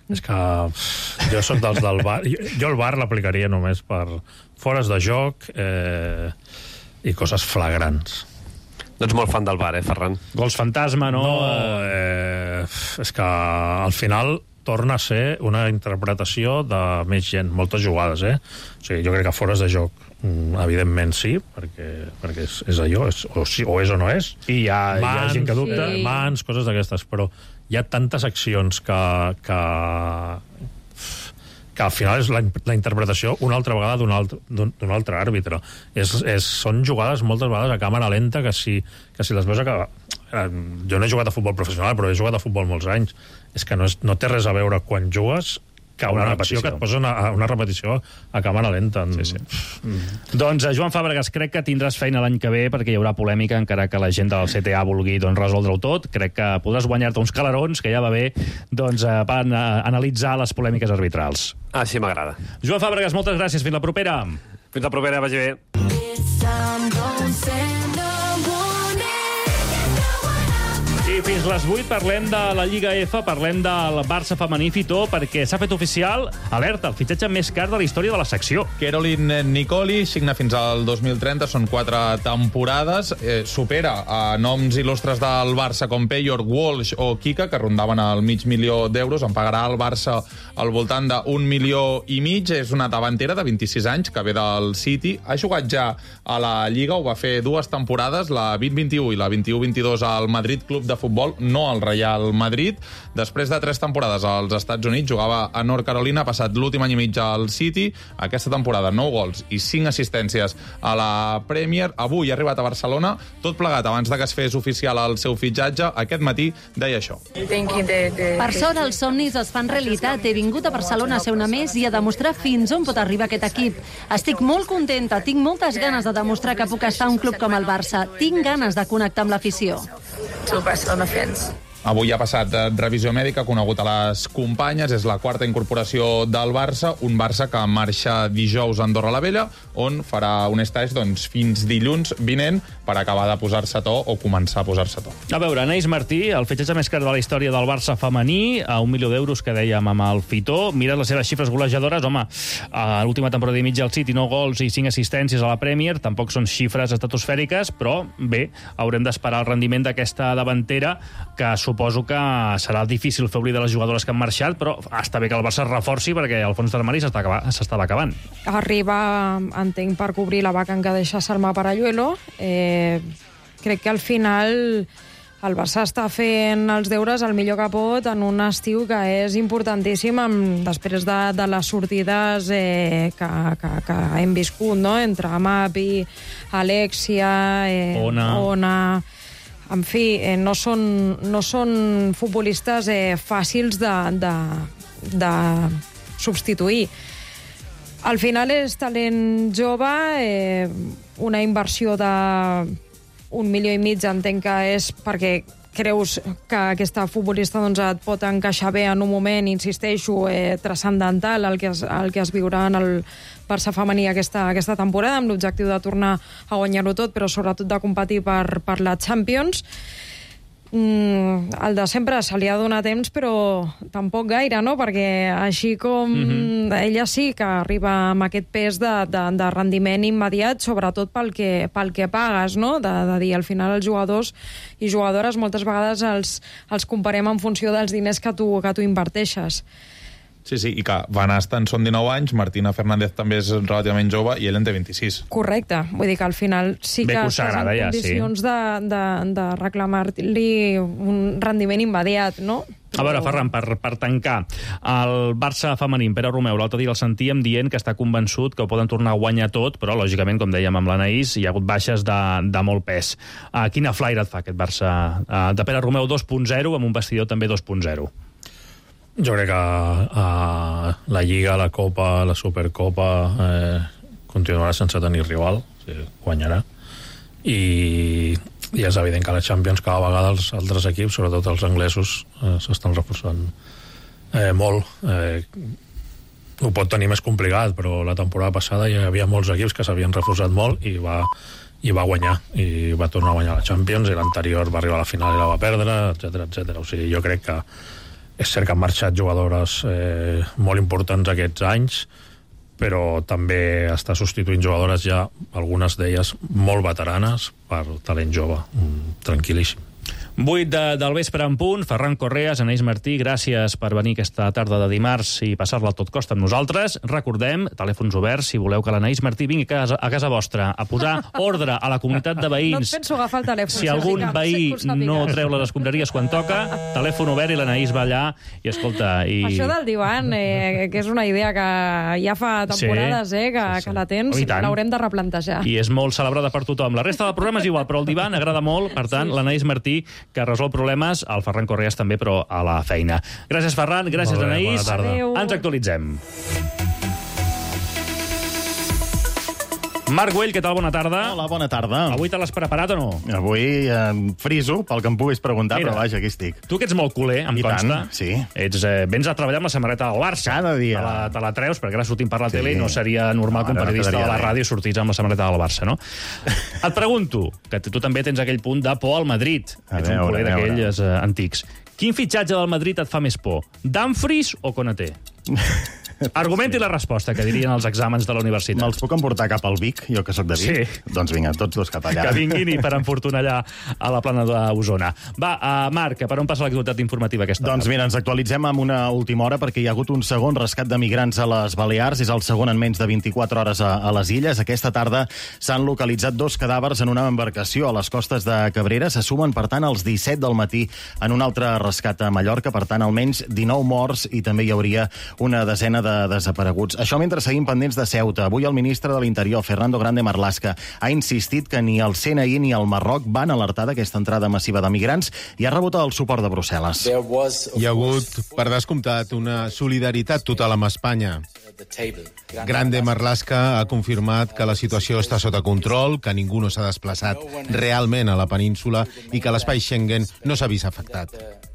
És que jo sóc dels del V A R. Jo, jo el V A R l'aplicaria només per fores de joc eh, i coses flagrants. No ets molt fan del V A R, eh, Ferran? Gols fantasma, no? No, eh, és que al final torna a ser una interpretació de més gent, moltes jugades, eh? O sigui, jo crec que fores de joc, evidentment sí, perquè, perquè és, és allò, és, o, sí, o és o no és. I hi ha, mans, hi ha gent que dubta. Sí. Mans, coses d'aquestes, però hi ha tantes accions que, que, que al final és la, la interpretació una altra vegada d'un altre, d'un altre àrbitre. És, és, són jugades moltes vegades a càmera lenta que si, que si les veus a... Jo no he jugat a futbol professional, però he jugat a futbol molts anys. És que no, és, no té res a veure quan jugues que una, una acció que et posa una, una repetició a càmera lenta. Sí, sí. Mm. Doncs, Joan Fàbregas, crec que tindràs feina l'any que ve perquè hi haurà polèmica, encara que la gent del C T A vulgui doncs, resoldre-ho tot. Crec que podràs guanyar-te uns calarons, que ja va bé, doncs, per analitzar les polèmiques arbitrals. Així m'agrada. Joan Fàbregas, moltes gràcies. Fins la propera. Fins la propera, vagi bé. I fins les vuit parlem de la Lliga F, parlem del Barça femení, Fitó, perquè s'ha fet oficial, alerta, el fitxatge més car de la història de la secció. Caroline Nicoli signa fins al dos mil trenta, són quatre temporades, eh, supera a noms il·lustres del Barça com Payor, Walsh o Kika, que rondaven el mig milió d'euros, en pagarà el Barça al voltant d'un milió i mig, és una davantera de vint-i-sis anys, que ve del City, ha jugat ja a la Lliga, ho va fer dues temporades, la vint vint-i-u i la vint-i-u vint-i-dos al Madrid Club de Futbol, no al Real Madrid. Després de tres temporades als Estats Units, jugava a North Carolina, ha passat l'últim any i mig al City, aquesta temporada nou gols i cinc assistències a la Premier. Avui ha arribat a Barcelona, tot plegat abans de que es fes oficial el seu fitxatge. Aquest matí deia això. Per sort, els somnis es fan realitat. He vingut a Barcelona a ser una més i a demostrar fins on pot arribar aquest equip. Estic molt contenta, tinc moltes ganes de demostrar que puc estar a un club com el Barça. Tinc ganes de connectar amb l'afició. Avui ha passat revisió mèdica, conegut a les companyes, és la quarta incorporació del Barça, un Barça que marxa dijous a Andorra la Vella, on farà un stage doncs, fins dilluns vinent per acabar de posar-se a to o començar a posar-se a to. A veure, Anaïs Martí, el fitxatge més car de la història del Barça femení, a un milió d'euros que dèiem amb el Fitó. Mira les seves xifres golejadores, home, a l'última temporada i mitja al City, nou gols i cinc assistències a la Premier, tampoc són xifres estratosfèriques, però bé, haurem d'esperar el rendiment d'aquesta davantera, que suposo que serà difícil fer oblidar les jugadores que han marxat, però està bé que el Barça es reforci perquè el fons d'armari s'estava acabant. Arriba, entenc, per cobrir la vacant que deixa Salma Paralluelo. Eh, crec que al final el Barça està fent els deures el millor que pot en un estiu que és importantíssim amb, després de, de les sortides eh, que, que, que hem viscut, no? Entre Amapi, Alexia, eh, Ona... Ona... En fi, eh, no, són, no són futbolistes eh, fàcils de, de, de substituir. Al final és talent jove, eh, una inversió de un milió i mig, entenc que és perquè creus que aquesta futbolista doncs, et pot encaixar bé en un moment, insisteixo, eh, transcendental el que, es, el que es viurà en el Barça femení aquesta, aquesta temporada, amb l'objectiu de tornar a guanyar-ho tot, però sobretot de competir per, per la Champions. Mm, el de sempre se li ha donat temps, però tampoc gaire, no? Perquè així com mm-hmm. ella sí que arriba amb aquest pes de, de, de rendiment immediat, sobretot pel que, pel que pagues, no? De, de dir, al final els jugadors i jugadores moltes vegades els, els comparem en funció dels diners que tu, que tu inverteixes. Sí, sí, i que Van Asten són dinou anys, Martina Fernández també és relativament jove i ell en té vint-i-sis. Correcte, vull dir que al final sí que estàs en condicions ja, sí. de, de, de reclamar-li un rendiment immediat, no? A veure, Ferran, per, per tancar, el Barça femení, Pere Romeu, l'altre dia el sentíem dient que està convençut que ho poden tornar a guanyar tot, però, lògicament, com dèiem amb l'Anaïs, hi ha hagut baixes de, de molt pes. Uh, quina flaire et fa aquest Barça uh, de Pere Romeu dos punt zero amb un vestidor també dos punt zero? Jo crec que uh, la Lliga, la Copa, la Supercopa eh, continuarà sense tenir rival, o sigui, guanyarà. I, I és evident que a la Champions cada vegada els altres equips, sobretot els anglesos, eh, s'estan reforçant eh, molt. Eh, ho pot tenir més complicat, però la temporada passada hi havia molts equips que s'havien reforçat molt i va, i va guanyar, i va tornar a guanyar la Champions, i l'anterior va arribar a la final i la va perdre, etcètera, etcètera. O sigui, jo crec que és cert que han marxat jugadores eh, molt importants aquests anys, però també està substituint jugadores ja, algunes d'elles molt veteranes, per talent jove. Mm, tranquil·líssim. vuit de, del vespre en punt, Ferran Correas, Anaïs Martí, gràcies per venir aquesta tarda de dimarts i passar-la a tot costa amb nosaltres. Recordem, telèfons oberts, si voleu que l'Anaïs Martí vingui a casa, a casa vostra a posar ordre a la comunitat de veïns. No et penso agafar el telèfon. Si algun veí no treu les escombraries quan toca, telèfon obert i l'Anaïs va allà i escolta... I... Això del divan, eh, que és una idea que ja fa temporades sí, eh, que, sí, sí. que la tens, oh, l'haurem de replantejar. I és molt celebrada per tothom. La resta del programa és igual, però el divan agrada molt, per tant, sí. l'Anaïs Martí, que resol problemes, el Ferran Correas també, però a la feina. Gràcies, Ferran, gràcies, bé, Anaïs. Ens actualitzem. Marc Güell, què tal? Bona tarda. Hola, bona tarda. Avui te l'has preparat o no? Avui eh, friso, pel que em puguis preguntar, Mira, però vaja, aquí estic. Tu que ets molt culer, em I consta. Tant, sí. Ets, eh, vens a treballar amb la samarreta del Barça. Cada dia. Te la, te la treus, perquè ara sortim per la sí. tele i no seria normal no, que un periodista no de la ràdio sortís amb la samarreta del Barça, no? Et pregunto, que tu també tens aquell punt de por al Madrid. A ets veure, un culer d'aquells eh, antics. Quin fitxatge del Madrid et fa més por? Dumfries o Konaté? Argumenti sí. la resposta, que dirien els exàmens de la universitat. Me'ls puc emportar cap al Vic, jo que sóc de Vic? Sí. Doncs vinga, tots dos cap allà. Que vinguin i per enfortunar allà a la plana d'Osona. Va, uh, Marc, per on passa l'actualitat informativa aquesta Doncs mira, ens actualitzem amb una última hora perquè hi ha hagut un segon rescat de migrants a les Balears. És el segon en menys de vint-i-quatre hores a, a les illes. Aquesta tarda s'han localitzat dos cadàvers en una embarcació a les costes de Cabrera. Se sumen, per tant, als disset del matí en un altre rescat a Mallorca. Per tant, almenys dinou morts i també hi hauria una desena de desapareguts. Això mentre seguim pendents de Ceuta. Avui el ministre de l'Interior, Fernando Grande Marlaska, ha insistit que ni el C N I ni el Marroc van alertar d'aquesta entrada massiva de migrants i ha rebut el suport de Brussel·les. Hi ha hagut, per descomptat, una solidaritat total amb Espanya. Grande Marlaska ha confirmat que la situació està sota control, que ningú no s'ha desplaçat realment a la península i que l'espai Schengen no s'ha vist afectat.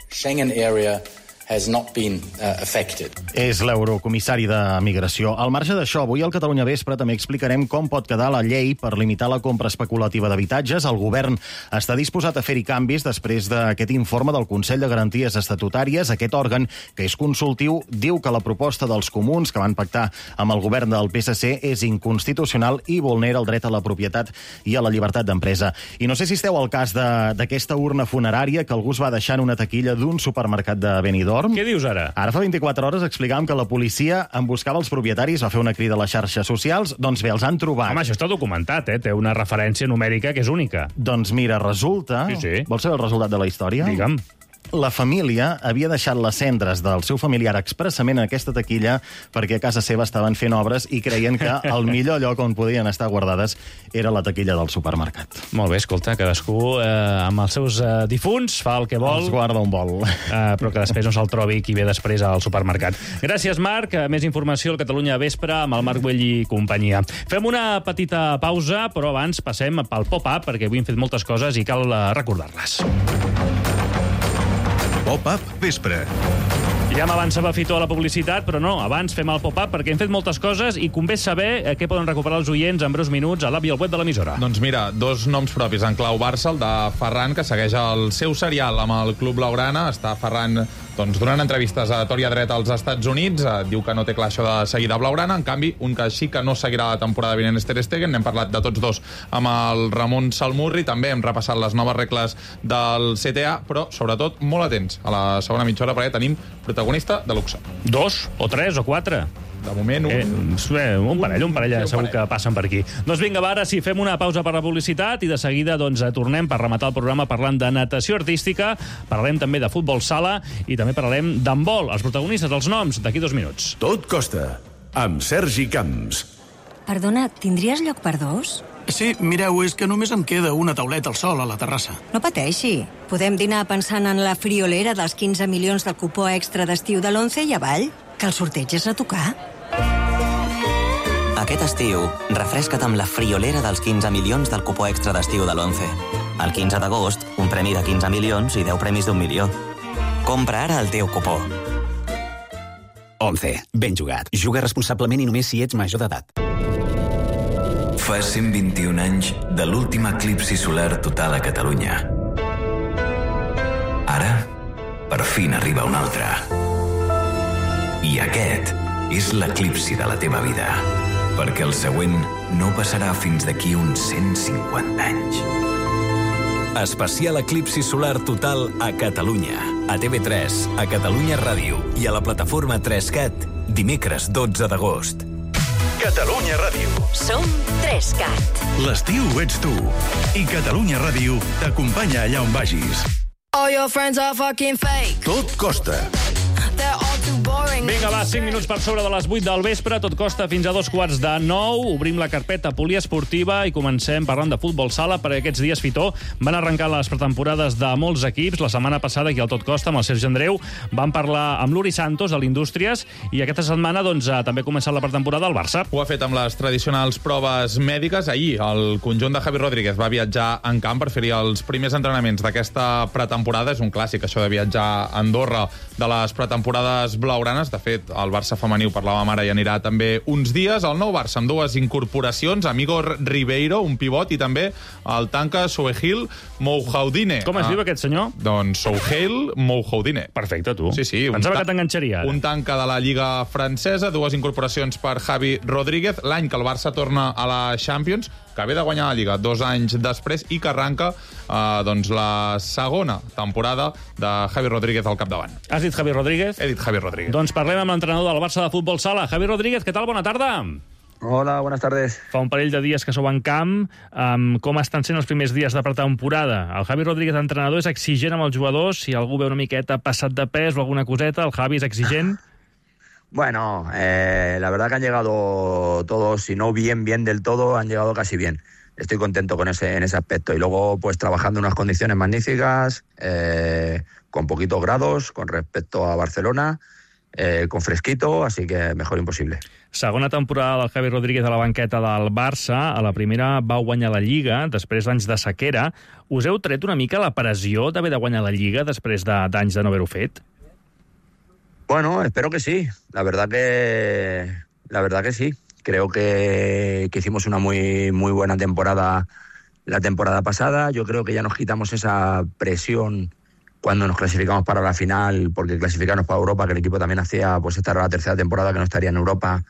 Schengen area has not been uh, affected. És l'eurocomissari de Migració. Al marge d'això, avui al Catalunya Vespre també explicarem com pot quedar la llei per limitar la compra especulativa d'habitatges. El govern està disposat a fer-hi canvis després d'aquest informe del Consell de Garanties Estatutàries. Aquest òrgan, que és consultiu, diu que la proposta dels comuns que van pactar amb el govern del P S C és inconstitucional i vulnera el dret a la propietat i a la llibertat d'empresa. I no sé si esteu al cas d'aquesta urna funerària que algú es va deixar en una taquilla d'un supermercat de Benidorm. Què dius ara? Ara fa vint-i-quatre hores explicàvem que la policia en buscava els propietaris, va fer una crida a les xarxes socials, doncs bé, els han trobat. Home, això està documentat, eh? Té una referència numèrica que és única. Doncs mira, resulta... Sí, sí. Vols saber el resultat de la història? Digue'm. La família havia deixat les cendres del seu familiar expressament en aquesta taquilla perquè a casa seva estaven fent obres i creien que el millor lloc on podien estar guardades era la taquilla del supermercat. Molt bé, escolta, cadascú eh, amb els seus eh, difunts fa el que vol. Els guarda on vol. Eh, però que després no se'l trobi qui ve després al supermercat. Gràcies, Marc. Més informació al Catalunya Vespre amb el Marc Güell i companyia. Fem una petita pausa, però abans passem pel pop-up, perquè avui hem fet moltes coses i cal eh, recordar-les. Pop-up Vespre. Ja m'avançava Fito a la publicitat, però no, abans fem el pop-up perquè hem fet moltes coses i convé saber eh, què poden recuperar els oients en breus minuts a l'app i al web de l'emissora. Doncs mira, dos noms propis en clau Barça, el de Ferran, que segueix el seu serial amb el Club Blaugrana. Està Ferran doncs, donant entrevistes a Tòria Dret als Estats Units, eh, diu que no té clar això de seguir de Blaugrana. En canvi, un que sí que no seguirà la temporada vinent és Ter Stegen. N'hem parlat de tots dos amb el Ramon Salmurri. També hem repassat les noves regles del C T A, però sobretot molt atents a la segona mitja hora perquè tenim protagonista de luxe. Dos, o tres, o quatre. De moment, un... Eh, un parell, un parell, segur que passen per aquí. Doncs vinga, va, ara sí, fem una pausa per la publicitat i de seguida doncs, tornem per rematar el programa parlant de natació artística, parlarem també de futbol sala i també parlarem d'handbol. Els protagonistes, els noms, d'aquí dos minuts. Tot costa, amb Sergi Camps. Perdona, tindries lloc per dos? Sí, mireu, és que només em queda una tauleta al sol a la terrassa. No pateixi. Podem dinar pensant en la friolera dels quinze milions del cupó extra d'estiu de l'Once i avall, que el sorteig és a tocar. Aquest estiu, refresca't amb la friolera dels quinze milions del cupó extra d'estiu de l'Once. El quinze d'agost, un premi de quinze milions i deu premis d'un milió. Compra ara el teu cupó. Once. Ben jugat. Juga responsablement i només si ets major d'edat. Fa cent vint-i-un anys de l'últim eclipsi solar total a Catalunya. Ara, per fi n'arriba un altre. I aquest és l'eclipsi de la teva vida, perquè el següent no passarà fins d'aquí uns cent cinquanta anys. Especial eclipsi solar total a Catalunya. A T V tres, a Catalunya Ràdio i a la plataforma tres cat, dimecres dotze d'agost. Catalunya Ràdio. Som tres cat. L'estiu ets tu. I Catalunya Ràdio t'acompanya allà on vagis. All your friends are fucking fake. Tot costa. They're all too boring. Vinga, va, cinc minuts per sobre de les vuit del vespre, tot costa fins a dos quarts de nou. Obrim la carpeta poliesportiva i comencem parlant de futbol sala, perquè aquests dies, Fitó, van arrencar les pretemporades de molts equips. La setmana passada, aquí al Tot Costa, amb el Sergi Andreu, van parlar amb l'Uri Santos, de l'Indústries, i aquesta setmana doncs, també ha començat la pretemporada al Barça. Ho ha fet amb les tradicionals proves mèdiques. Ahir, el conjunt de Javi Rodríguez va viatjar en camp per fer-hi els primers entrenaments d'aquesta pretemporada. És un clàssic, això de viatjar a Andorra de les pretemporades blaugranes. De fet, el Barça femení, ho parlàvem ara, i anirà també uns dies. El nou Barça amb dues incorporacions, amb Igor Ribeiro, un pivot, i també el tanca Souheil Moujahidine. Com es ah, diu aquest senyor? Doncs Souheil Moujahidine. Perfecte, tu. Sí, sí. Pensava que t'enganxaria. Un tanca de la Lliga francesa, dues incorporacions per Javi Rodríguez, l'any que el Barça torna a la Champions, que ve de guanyar la Lliga dos anys després i que arranca eh, doncs la segona temporada de Javi Rodríguez al capdavant. Has dit Javi Rodríguez? He dit Javi Rodríguez. Doncs parlem amb l'entrenador del Barça de futbol sala. Javi Rodríguez, què tal? Bona tarda. Hola, buenas tardes. Fa un parell de dies que sou en camp. Um, com estan sent els primers dies de pretemporada? El Javi Rodríguez, entrenador, és exigent amb els jugadors? Si algú ve una miqueta passat de pes o alguna coseta, el Javi és exigent? Bueno, eh, la verdad que han llegado todos, si no bien, bien del todo, han llegado casi bien. Estoy contento con ese, en ese aspecto. Y luego, pues trabajando en unas condiciones magníficas, eh, con poquitos grados con respecto a Barcelona, eh, con fresquito, así que mejor imposible. Segona temporada del Javi Rodríguez a la banqueta del Barça. A la primera va guanyar la Lliga, després d'anys de sequera. Us heu tret una mica la pressió d'haver de guanyar la Lliga després d'anys de no haver-ho fet? Bueno, espero que sí. La verdad que, la verdad que sí. Creo que, que hicimos una muy, muy buena temporada la temporada pasada. Yo creo que ya nos quitamos esa presión cuando nos clasificamos para la final, porque clasificarnos para Europa, que el equipo también hacía, pues esta era la tercera temporada que no estaría en Europa,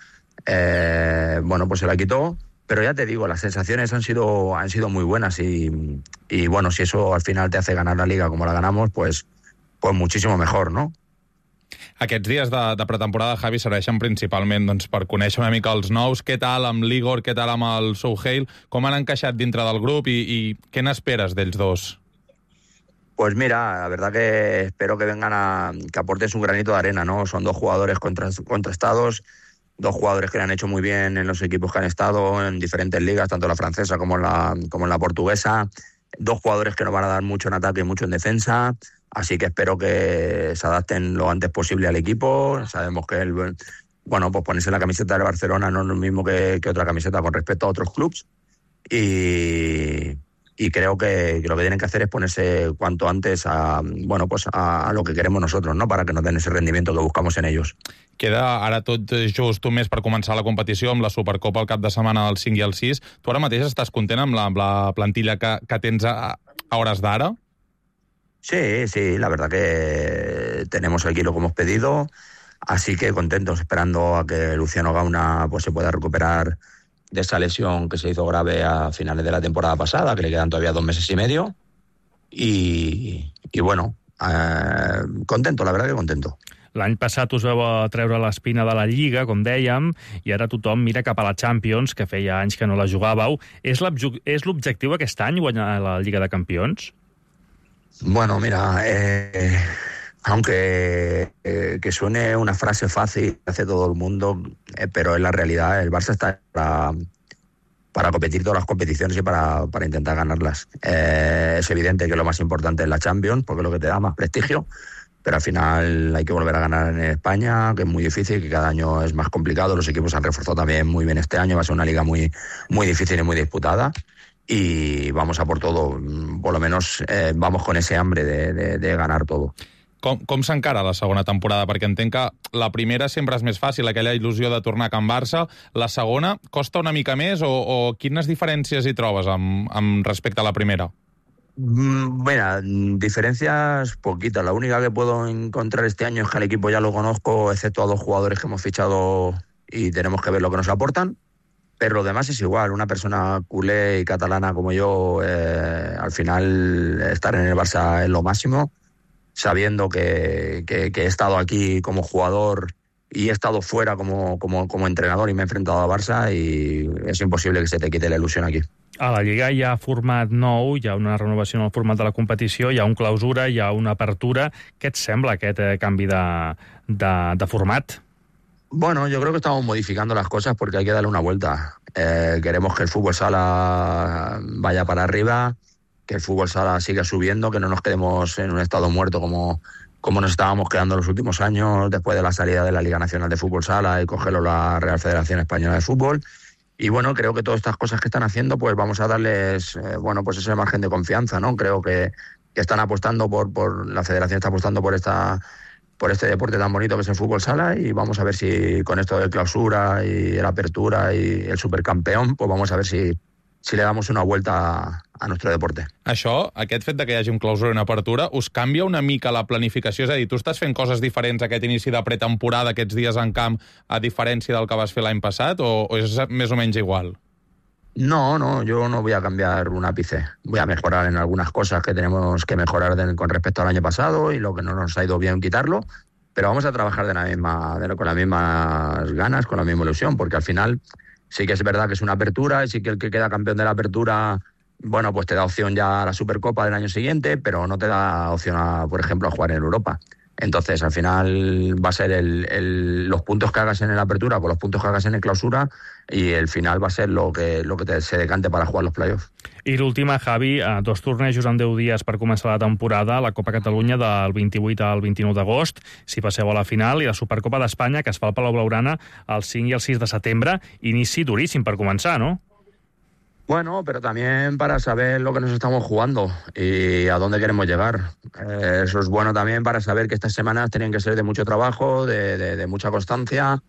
eh, bueno, pues se la quitó. Pero ya te digo, las sensaciones han sido, han sido muy buenas y, y bueno, si eso al final te hace ganar la Liga como la ganamos, pues, pues muchísimo mejor, ¿no? Aquests dies de, de pretemporada, Javi, serveixen principalment doncs, per conèixer una mica els nous. Què tal amb l'Igor, què tal amb el Souheil? Com han encaixat dintre del grup i, i què n'esperes d'ells dos? Pues mira, la verdad que espero que vengan a que aporten su granito de arena, ¿no? Son dos jugadores contrastados, dos jugadores que le han hecho muy bien en los equipos que han estado en diferentes ligas, tanto en la francesa como en la, como en la portuguesa. Dos jugadores que nos van a dar mucho en ataque y mucho en defensa. Así que espero que se adapten lo antes posible al equipo. Sabemos que el, bueno, pues ponerse la camiseta del Barcelona no es lo mismo que, que otra camiseta con respecto a otros clubes. Y, y creo que, que lo que tienen que hacer es ponerse cuanto antes a, bueno, pues a, a lo que queremos nosotros, ¿no? Para que nos den ese rendimiento que buscamos en ellos. Queda ara tot just un mes per començar la competició amb la Supercopa al cap de setmana del cinc i el sis. Tu ara mateix estàs content amb la, amb la plantilla que, que tens a, a hores d'ara? Sí, sí, la verdad que tenemos aquí lo que hemos pedido, así que contentos, esperando a que Luciano Gauna pues, se pueda recuperar de esa lesión que se hizo grave a finales de la temporada pasada, que le quedan todavía dos meses y medio, y, y bueno, eh, contento, la verdad que contento. L'any passat us veu treure l'espina de la Lliga, com dèiem, i ara tothom mira cap a la Champions, que feia anys que no la jugàveu. És l'objectiu aquest any guanyar la Lliga de Campions? Bueno, mira, eh, aunque eh, que suene una frase fácil, hace todo el mundo, eh, pero en la realidad el Barça está para, para competir todas las competiciones y para, para intentar ganarlas. Eh, es evidente que lo más importante es la Champions, porque es lo que te da más prestigio, pero al final hay que volver a ganar en España, que es muy difícil, que cada año es más complicado. Los equipos han reforzado también muy bien este año, va a ser una liga muy, muy difícil y muy disputada. Y vamos a por todo, por lo menos eh, vamos con ese hambre de, de, de ganar todo. Com, com s'encara la segona temporada? Perquè entenc que la primera sempre és més fàcil, aquella il·lusió de tornar a Can Barça. La segona costa una mica més o, o quines diferències hi trobes amb, amb respecte a la primera? Mira, diferencias poquitas. La única que puedo encontrar este año es que al equipo ya lo conozco, excepto a dos jugadores que hemos fichado y tenemos que ver lo que nos aportan. Pero lo demás es igual. Una persona culé y catalana como yo, eh, al final estar en el Barça es lo máximo, sabiendo que, que, que he estado aquí como jugador y he estado fuera como, como, como entrenador y me he enfrentado a Barça y es imposible que se te quite la ilusión aquí. A la Lliga hi ha format nou, hi ha una renovació en el format de la competició, hi ha un clausura, hi ha una apertura. Què et sembla aquest eh, canvi de, de, de format? Bueno, yo creo que estamos modificando las cosas porque hay que darle una vuelta. Eh, queremos que el fútbol sala vaya para arriba, que el fútbol sala siga subiendo, que no nos quedemos en un estado muerto como, como nos estábamos quedando los últimos años después de la salida de la Liga Nacional de Fútbol Sala y cogerlo la Real Federación Española de Fútbol. Y bueno, creo que todas estas cosas que están haciendo, pues vamos a darles, eh, bueno, pues ese margen de confianza, ¿no? Creo que, que están apostando por, por, la Federación está apostando por esta... por este deporte tan bonito que es el fútbol sala y vamos a ver si con esto de clausura y la apertura y el supercampeón, pues vamos a ver si, si le damos una vuelta a, a nuestro deporte. Això, aquest fet de que hi hagi un clausura i una apertura, us canvia una mica la planificació? És a dir, tu estàs fent coses diferents aquest inici de pretemporada, aquests dies en camp, a diferència del que vas fer l'any passat, o, o és més o menys igual? No, no, yo no voy a cambiar un ápice. Voy a mejorar en algunas cosas que tenemos que mejorar de, con respecto al año pasado y lo que no nos ha ido bien quitarlo, pero vamos a trabajar de la misma, de, con las mismas ganas, con la misma ilusión, porque al final sí que es verdad que es una apertura y sí que el que queda campeón de la apertura, bueno, pues te da opción ya a la Supercopa del año siguiente, pero no te da opción, a, por ejemplo, a jugar en Europa. Entonces, al final va a ser el, el, los puntos que hagas en la apertura con los puntos que hagas en el clausura y el final va a ser lo que, lo que te, se decante para jugar los playoffs. I l'última, Javi, dos tornejos en deu dies per començar la temporada, la Copa Catalunya del vint-i-vuit al vint-i-nou d'agost, si passeu a la final, i la Supercopa d'Espanya, que es fa al Palau Blaugrana el cinc i el sis de setembre. Inici duríssim per començar, no? Bueno, pero también para saber lo que nos estamos jugando y a dónde queremos llegar. Eh, eso es bueno también para saber que estas semanas tienen que ser de mucho trabajo, de, de, de mucha constancia,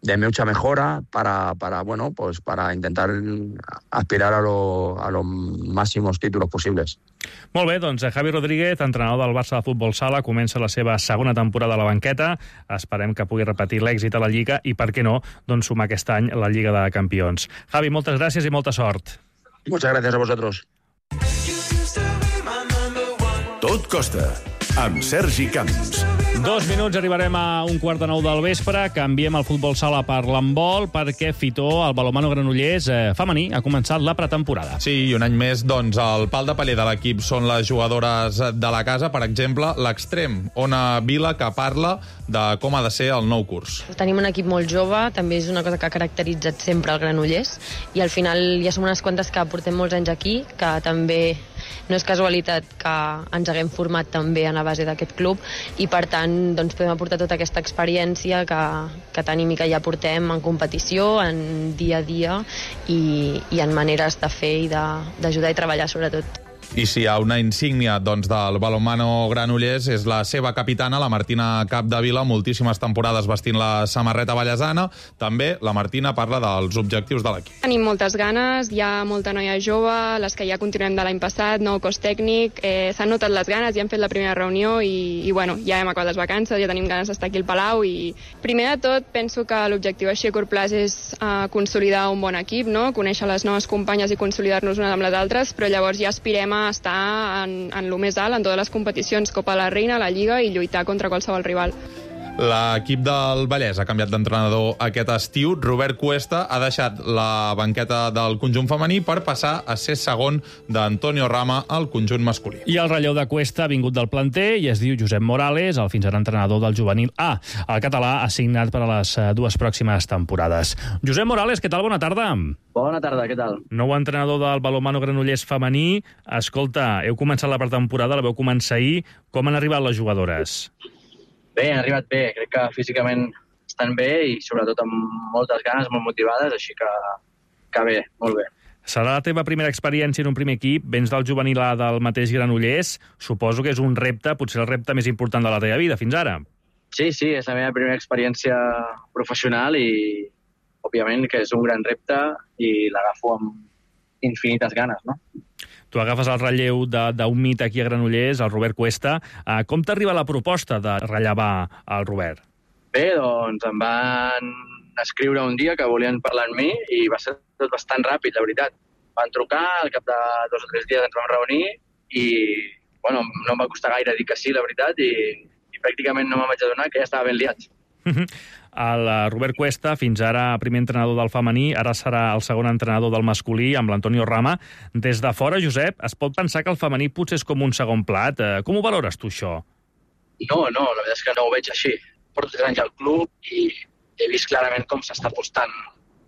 de mucha mejora para, para, bueno, pues para intentar aspirar a, lo, a los máximos títulos posibles. Molt bé, doncs Javi Rodríguez, entrenador del Barça de Futbol Sala, comença la seva segona temporada a la banqueta. Esperem que pugui repetir l'èxit a la Lliga i, per què no, doncs sumar aquest any la Lliga de Campions. Javi, moltes gràcies i molta sort. Muchas gracias a vosotros. Tot costa, amb Sergi Camps. Dos minuts, arribarem a un quart de nou del vespre. Canviem el futbol sala per l'handbol perquè Fitó, el balonmano Granollers eh, femení, ha començat la pretemporada. Sí, i un any més, doncs, el pal de paller de l'equip són les jugadores de la casa. Per exemple, l'extrem, Ona Vila, que parla de com ha de ser el nou curs. Tenim un equip molt jove, també és una cosa que ha caracteritzat sempre el Granollers, i al final ja som unes quantes que portem molts anys aquí, que també no és casualitat que ens haguem format també a la base d'aquest club, i per tant doncs, podem aportar tota aquesta experiència que, que tenim i que ja portem en competició, en dia a dia i, i en maneres de fer i d'ajudar i treballar sobretot. I si hi ha una insígnia doncs, del balonmano Granollers és la seva capitana, la Martina Capdevila, moltíssimes temporades vestint la samarreta ballesana. També la Martina parla dels objectius de l'equip. Tenim moltes ganes, hi ha molta noia jove, les que ja continuem de l'any passat, nou cos tècnic, eh, s'han notat les ganes, ja hem fet la primera reunió i, i bueno, ja hem acabat les vacances, ja tenim ganes d'estar aquí al Palau i primer de tot penso que l'objectiu així a curt plaç és uh, consolidar un bon equip, no? Conèixer les noves companyes i consolidar-nos unes amb les altres, però llavors ja aspirem a estar en, en lo més alt, en totes les competicions, Copa de la Reina, la Lliga i lluitar contra qualsevol rival. L'equip del Vallès ha canviat d'entrenador aquest estiu. Robert Cuesta ha deixat la banqueta del conjunt femení per passar a ser segon d'Antonio Rama al conjunt masculí. I el relleu de Cuesta ha vingut del planter i es diu Josep Morales, el fins ara entrenador del juvenil A. El català ha signat per a les dues pròximes temporades. Josep Morales, què tal? Bona tarda. Bona tarda, què tal? Nou entrenador del balonmano Granollers femení. Escolta, heu començat la pretemporada, la veu començar ahir. Com han arribat les jugadores? Bé, han arribat bé. Crec que físicament estan bé i sobretot amb moltes ganes, molt motivades, així que, que bé, molt bé. Serà la teva primera experiència en un primer equip, vens del juvenil A del mateix Granollers. Suposo que és un repte, potser el repte més important de la teva vida fins ara. Sí, sí, és la meva primera experiència professional i, òbviament, que és un gran repte i l'agafo amb infinites ganes, no? Tu agafes el relleu d'un mit aquí a Granollers, el Robert Cuesta. Uh, com t'arriba la proposta de rellevar el Robert? Bé, doncs em van escriure un dia que volien parlar amb mi i va ser tot bastant ràpid, la veritat. Van trucar, al cap de dos o tres dies ens vam reunir i bueno, no em va costar gaire dir que sí, la veritat, i, i pràcticament no me'n vaig adonar que ja estava ben liat. El Robert Cuesta, fins ara primer entrenador del femení, ara serà el segon entrenador del masculí, amb l'Antonio Rama. Des de fora, Josep, es pot pensar que el femení potser és com un segon plat. Com ho valores tu, això? No, no, la veritat és que no ho veig així. Porto tres anys al club i he vist clarament com s'està apostant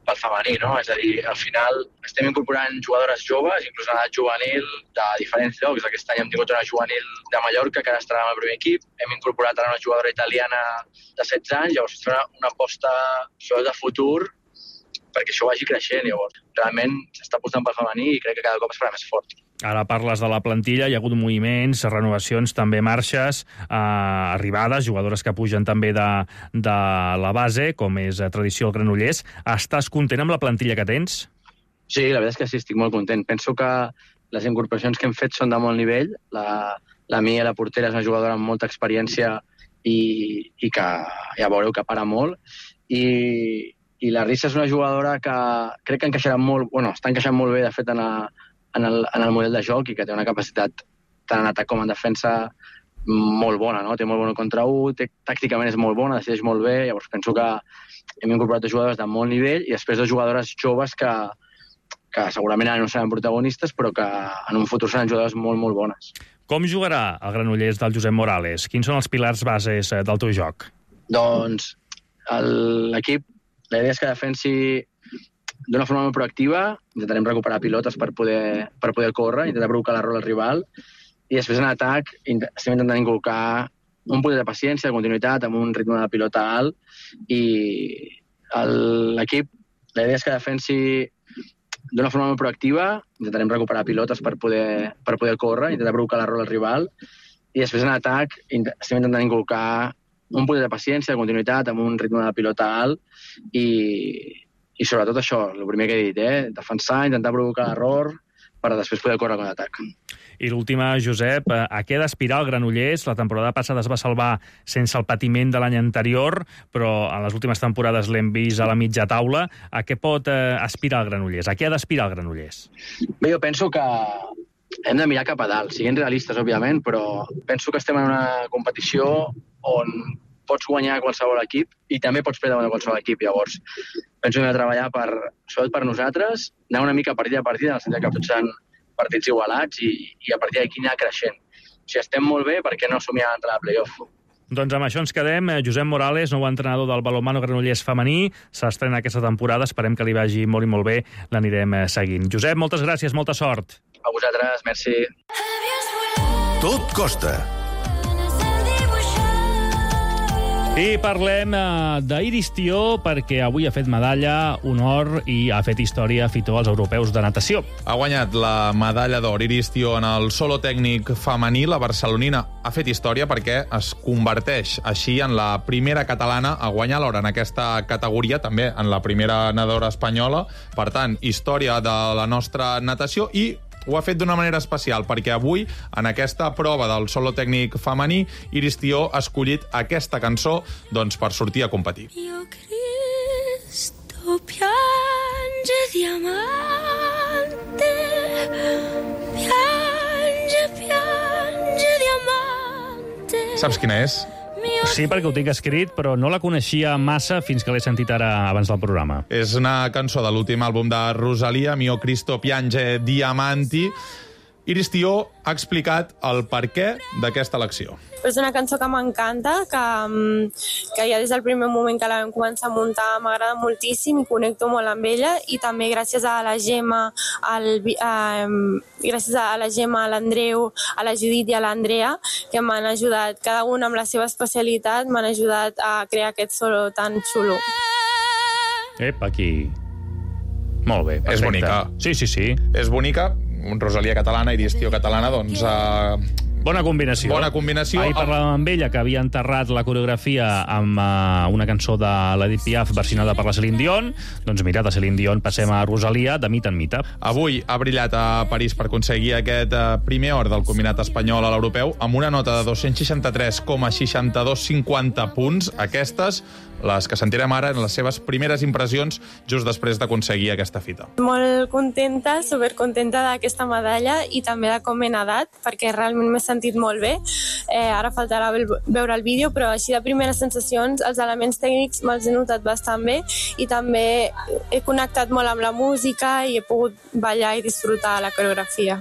pel femení, no? És a dir, al final estem incorporant jugadores joves, inclús en edat juvenil, de diferents llocs. Aquest any hem tingut una juvenil de Mallorca, que ara estarà en el primer equip. Hem incorporat ara una jugadora italiana de setze anys, llavors és una, una aposta sobretot de futur perquè això vagi creixent. Llavors, realment s'està apostant pel femení i crec que cada cop es farà més fort. Ara parles de la plantilla, hi ha hagut moviments, renovacions, també marxes, eh, arribades, jugadores que pugen també de, de la base, com és tradició al Granollers. Estàs content amb la plantilla que tens? Sí, la veritat és que sí, estic molt content. Penso que les incorporacions que hem fet són de molt nivell. La, la Mia, la portera, és una jugadora amb molta experiència i, i que ja veureu que para molt. I, i la Rissa és una jugadora que crec que encaixarà molt, bueno, està encaixant molt bé, de fet, en, a, en, el, en el model de joc i que té una capacitat tant en atac com en defensa molt bona, no? Té molt bona contra u, té, tàcticament és molt bona, decideix molt bé, llavors penso que hem incorporat jugadores de molt nivell i després de jugadores joves que, que segurament ara no seran protagonistes, però que en un futur seran jugadores molt, molt bones. Com jugarà el Granollers del Josep Morales? Quins són els pilars bases del teu joc? Doncs l'equip, la idea és que defensi d'una forma molt proactiva, intentarem recuperar pilotes per poder, per poder córrer, intentar provocar l'error al rival, i després en atac estem intentant inculcar un poder de paciència, de continuïtat, amb un ritme de pilota alt, i l'equip, la idea és que defensi d'una forma molt proactiva, intentarem recuperar pilotes per poder, per poder córrer, intentar provocar l'error al rival, i després en atac estem intentant inculcar un poder de paciència, de continuïtat, amb un ritme de pilota alt, i, i sobretot això, el primer que he dit, eh? defensar, intentar provocar l'error per després poder córrer con l'atac. I l'última, Josep, a què ha d'aspirar el Granollers? La temporada passada es va salvar sense el patiment de l'any anterior, però en les últimes temporades l'hem vist a la mitja taula. A què pot eh, aspirar el Granollers? A què ha d'aspirar el Granollers? Bé, jo penso que hem de mirar cap a dalt, siguent realistes, òbviament, però penso que estem en una competició on pots guanyar qualsevol equip i també pots perdre qualsevol equip. Llavors, penso que hem de treballar per, sobretot per nosaltres, anar una mica partida a partida, en el sentit que tots seran partits igualats i, i a partir d'aquí anar creixent. Si estem molt bé, per què no somiar a entrar a playoff? Doncs amb això ens quedem. Josep Morales, nou entrenador del balonmano Granollers femení, s'estrena aquesta temporada. Esperem que li vagi molt i molt bé. L'anirem seguint. Josep, moltes gràcies, molta sort. A vosaltres, merci. Tot costa. I parlem uh, d'Iris Tió, perquè avui ha fet medalla, honor i ha fet història Fitó als europeus de natació. Ha guanyat la medalla d'or Iris Tió en el solo tècnic femení. La barcelonina ha fet història perquè es converteix així en la primera catalana a guanyar l'or en aquesta categoria, també en la primera nedadora espanyola. Per tant, història de la nostra natació, i ho ha fet d'una manera especial, perquè avui, en aquesta prova del solo tècnic femení, Iris Tió ha escollit aquesta cançó doncs, per sortir a competir. Io Cristo piange diamante, piange, piange diamante. Saps quina és? Sí, perquè ho tinc escrit, però no la coneixia massa fins que l'he sentit ara abans del programa. És una cançó de l'últim àlbum de Rosalia, Mio Cristo Piange Diamanti. Iris Tió ha explicat el perquè d'aquesta elecció. És una cançó que m'encanta, que, que ja des del primer moment que la vam començar a muntar m'agrada moltíssim i connecto molt amb ella, i també gràcies a la Gemma, al, a, gràcies a la Gemma, a l'Andreu, a la Judit i a l'Andrea, que m'han ajudat, cada un amb la seva especialitat, m'han ajudat a crear aquest solo tan xulo. Ep, aquí. Molt bé, perfecte. És bonica. Sí, sí, sí. És bonica. Rosalia catalana, Iris Tió catalana, doncs... Uh... Bona combinació. Bona combinació. Ahir parlàvem amb ella, que havia enterrat la coreografia amb uh, una cançó de l'Edith Piaf versionada per la Celine Dion. Doncs mira, de Celine Dion passem a Rosalia, de mita en mita. Avui ha brillat a París per aconseguir aquest uh, primer or del combinat espanyol a l'europeu amb una nota de dos-cents seixanta-tres coma seixanta-dos cinquanta punts. Aquestes, les que sentirem ara, en les seves primeres impressions just després d'aconseguir aquesta fita. Molt contenta, supercontenta d'aquesta medalla i també de com he nedat, perquè realment m'he sentit molt bé. Eh, ara faltarà veure el vídeo, però així de primeres sensacions, els elements tècnics me'ls he notat bastant bé i també he connectat molt amb la música i he pogut ballar i disfrutar la coreografia.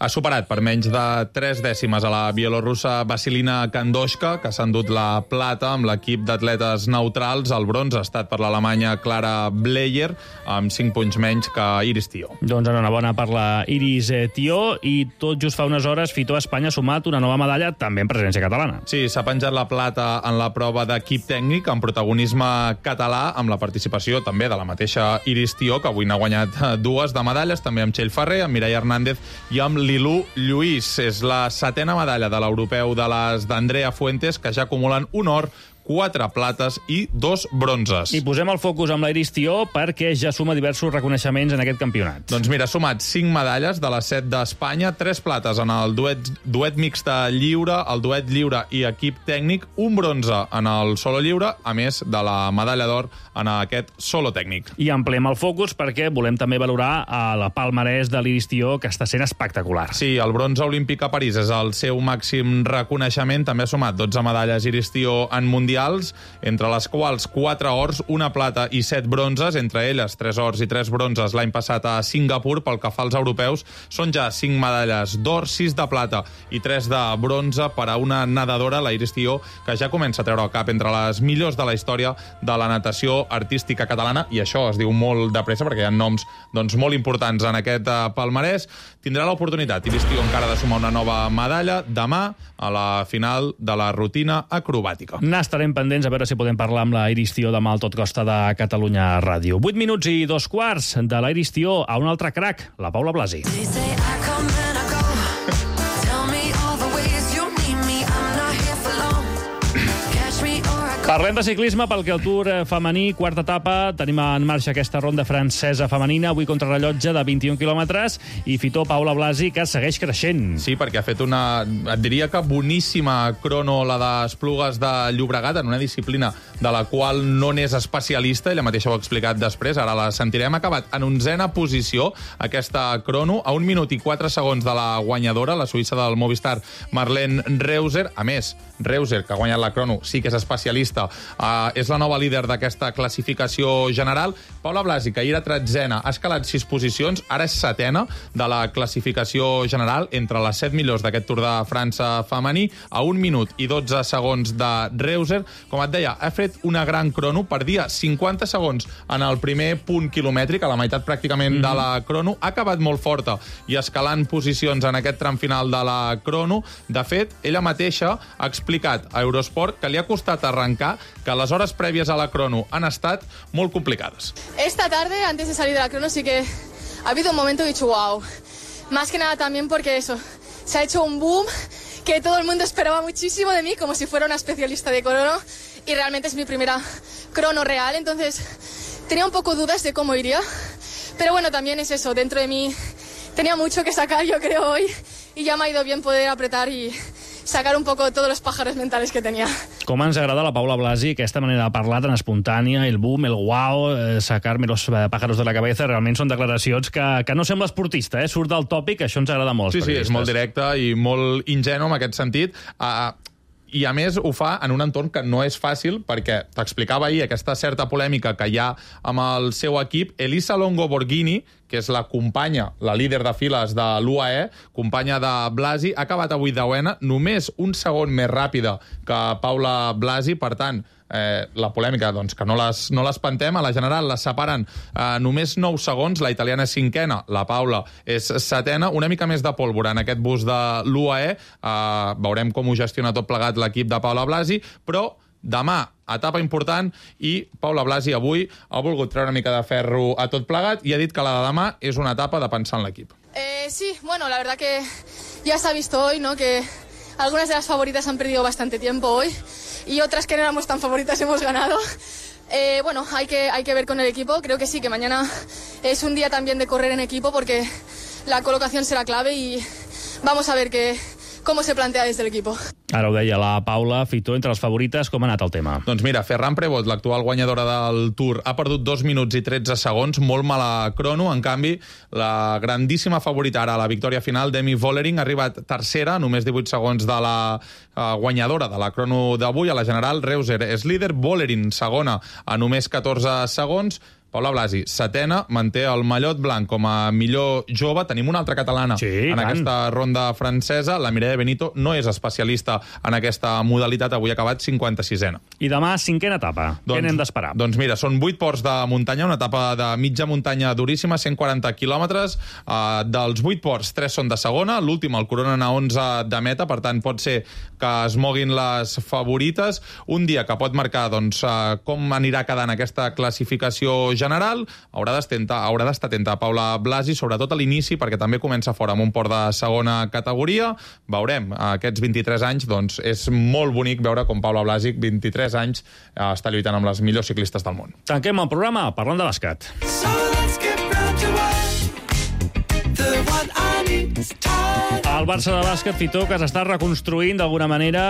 Ha superat per menys de tres dècimes a la bielorrussa Vasilina Kandoshka, que s'ha endut la plata amb l'equip d'atletes neutrals. El bronze ha estat per l'alemanya Clara Bleyer, amb cinc punts menys que Iris Tió. Doncs enhorabona per la Iris Tió, i tot just fa unes hores Fitó Espanya ha sumat una nova medalla també en presència catalana. Sí, s'ha penjat la plata en la prova d'equip tècnic amb protagonisme català, amb la participació també de la mateixa Iris Tió, que avui n'ha guanyat dues de medalles, també amb Txell Ferrer, amb Mireia Hernández i amb Lilú Lluís. És la setena medalla de l'europeu de les d'Andrea Fuentes, que ja acumulen un or, quatre plates i dos bronzes. I posem el focus amb la Iris Tió perquè ja suma diversos reconeixements en aquest campionat. Doncs mira, ha sumat cinc medalles de les set d'Espanya, tres plates en el duet, duet mixte lliure, el duet lliure i equip tècnic, un bronze en el solo lliure, a més de la medalla d'or en aquest solo tècnic. I ampliem el focus perquè volem també valorar a la palmarès de l'Iris Tió, que està sent espectacular. Sí, el bronze olímpic a París és el seu màxim reconeixement. També ha sumat dotze medalles Iris Tió en mundial, entre les quals quatre ors, una plata i set bronzes, entre elles tres ors i tres bronzes l'any passat a Singapur. Pel que fa als europeus, són ja cinc medalles d'or, sis de plata i tres de bronze per a una nedadora, la Iris Tió, que ja comença a treure el cap entre les millors de la història de la natació artística catalana, i això es diu molt de pressa perquè hi ha noms doncs, molt importants en aquest palmarès. Tindrà l'oportunitat, Iris Tió, encara de sumar una nova medalla demà a la final de la rutina acrobàtica. N'estarem pendents a veure si podem parlar amb la Iris Tió demà al Tot Costa de Catalunya Ràdio. vuit minuts i dos quarts de la Iris Tió a un altre crac, la Paula Blasi. Parlem de ciclisme perquè el Tour femení, quarta etapa, tenim en marxa aquesta ronda francesa femenina, avui contrarrellotge de vint-i-un quilòmetres, i Fitó, Paula Blasi, que segueix creixent. Sí, perquè ha fet una, et diria que boníssima crono, la d'Esplugues de Llobregat, en una disciplina de la qual no n'és especialista, ella mateixa ho ha explicat després, ara la sentirem. Ha acabat en onzena posició aquesta crono, a un minut i quatre segons de la guanyadora, la suïssa del Movistar, Marlene Reuser. A més, Reuser, que ha guanyat la crono, sí que és especialista, Uh, és la nova líder d'aquesta classificació general. Paula Blasi, que ahir era tretzena, ha escalat sis posicions, ara és setena de la classificació general, entre les set millors d'aquest Tour de França femení, a un minut i dotze segons de Reuser. Com et deia, ha fet una gran crono, perdia cinquanta segons en el primer punt quilomètric, a la meitat pràcticament mm-hmm. de la crono, ha acabat molt forta i escalant posicions en aquest tram final de la crono. De fet, ella mateixa ha explicat a Eurosport que li ha costat arrencar, que les hores prèvies a la crono han estat molt complicades. Esta tarde, antes de salir de la crono, sí que ha habido un momento que he dicho wow. Más que nada también porque eso, se ha hecho un boom que todo el mundo esperaba muchísimo de mí, como si fuera una especialista de crono, y realmente es mi primera crono real, entonces tenía un poco dudas de cómo iría, pero bueno, también es eso, dentro de mí tenía mucho que sacar, yo creo, hoy, y ya me ha ido bien poder apretar y sacar un poco todos los pájaros mentales que tenía. Com ens agrada a la Paula Blasi aquesta manera de parlar tan espontània, el boom, el wow, eh, sacar-me los pájaros de la cabeza, realment són declaracions que, que no sembla esportista, eh? Surt del tòpic, això ens agrada molt. Sí, sí, és molt directe i molt ingenu en aquest sentit. Uh, I, a més, ho fa en un entorn que no és fàcil, perquè t'explicava ahir aquesta certa polèmica que hi ha amb el seu equip. Elisa Longo Borghini, que és la companya, la líder de files de l'U A E, companya de Blasi, ha acabat avui deuena, només un segon més ràpida que Paula Blasi. Per tant, eh, la polèmica, doncs, que no les, no l'espantem. A la general les separen eh, només nou segons, la italiana és cinquena, la Paula és setena, una mica més de pólvora en aquest bus de l'U A E. Eh, veurem com ho gestiona tot plegat l'equip de Paula Blasi, però demà, etapa important, i Paula Blasi avui ha volgut treure una mica de ferro a tot plegat i ha dit que la de demà és una etapa de pensar en l'equip. Eh, sí, bueno, la verdad que ya se ha visto hoy, ¿no?, que algunas de las favoritas han perdido bastante tiempo hoy y otras que no éramos tan favoritas hemos ganado. Eh, bueno, hay que, hay que ver con el equipo. Creo que sí, que mañana es un día también de correr en equipo porque la colocación será clave y vamos a ver que com se plantea des de l'equip. Ara ho deia la Paula. Fito, entre les favorites, com ha anat el tema? Doncs mira, Ferran Prevot, l'actual guanyadora del Tour, ha perdut dos minuts i tretze segons, molt mala crono. En canvi, la grandíssima favorita ara a la victòria final, Demi Vollering, ha arribat tercera, només divuit segons de la uh, guanyadora de la crono d'avui. A la general, Reuser és líder, Vollering segona a només catorze segons. Paula Blasi, setena, manté el mallot blanc com a millor jove. Tenim una altra catalana sí, en tant. Aquesta ronda francesa. La Mireia Benito no és especialista en aquesta modalitat. Avui ha acabat cinquanta-sisena. I demà, cinquena etapa. Doncs, què n'hem d'esperar? Doncs mira, són vuit ports de muntanya, una etapa de mitja muntanya duríssima, cent quaranta quilòmetres. Uh, dels vuit ports, tres són de segona. L'últim, el coronen a onze de meta, per tant, pot ser que es moguin les favorites. Un dia que pot marcar doncs, uh, com anirà quedant aquesta classificació general, haurà d'estar atenta a Paula Blasi, sobretot a l'inici, perquè també comença fora amb un port de segona categoria. Veurem, aquests vint-i-tres anys, doncs és molt bonic veure com Paula Blasi, vint-i-tres anys, està lluitant amb les millors ciclistes del món. Tanquem el programa parlant de bàsquet. So let's get round to it. The one I need is time. El Barça de bàsquet, Fito, que s'està reconstruint d'alguna manera,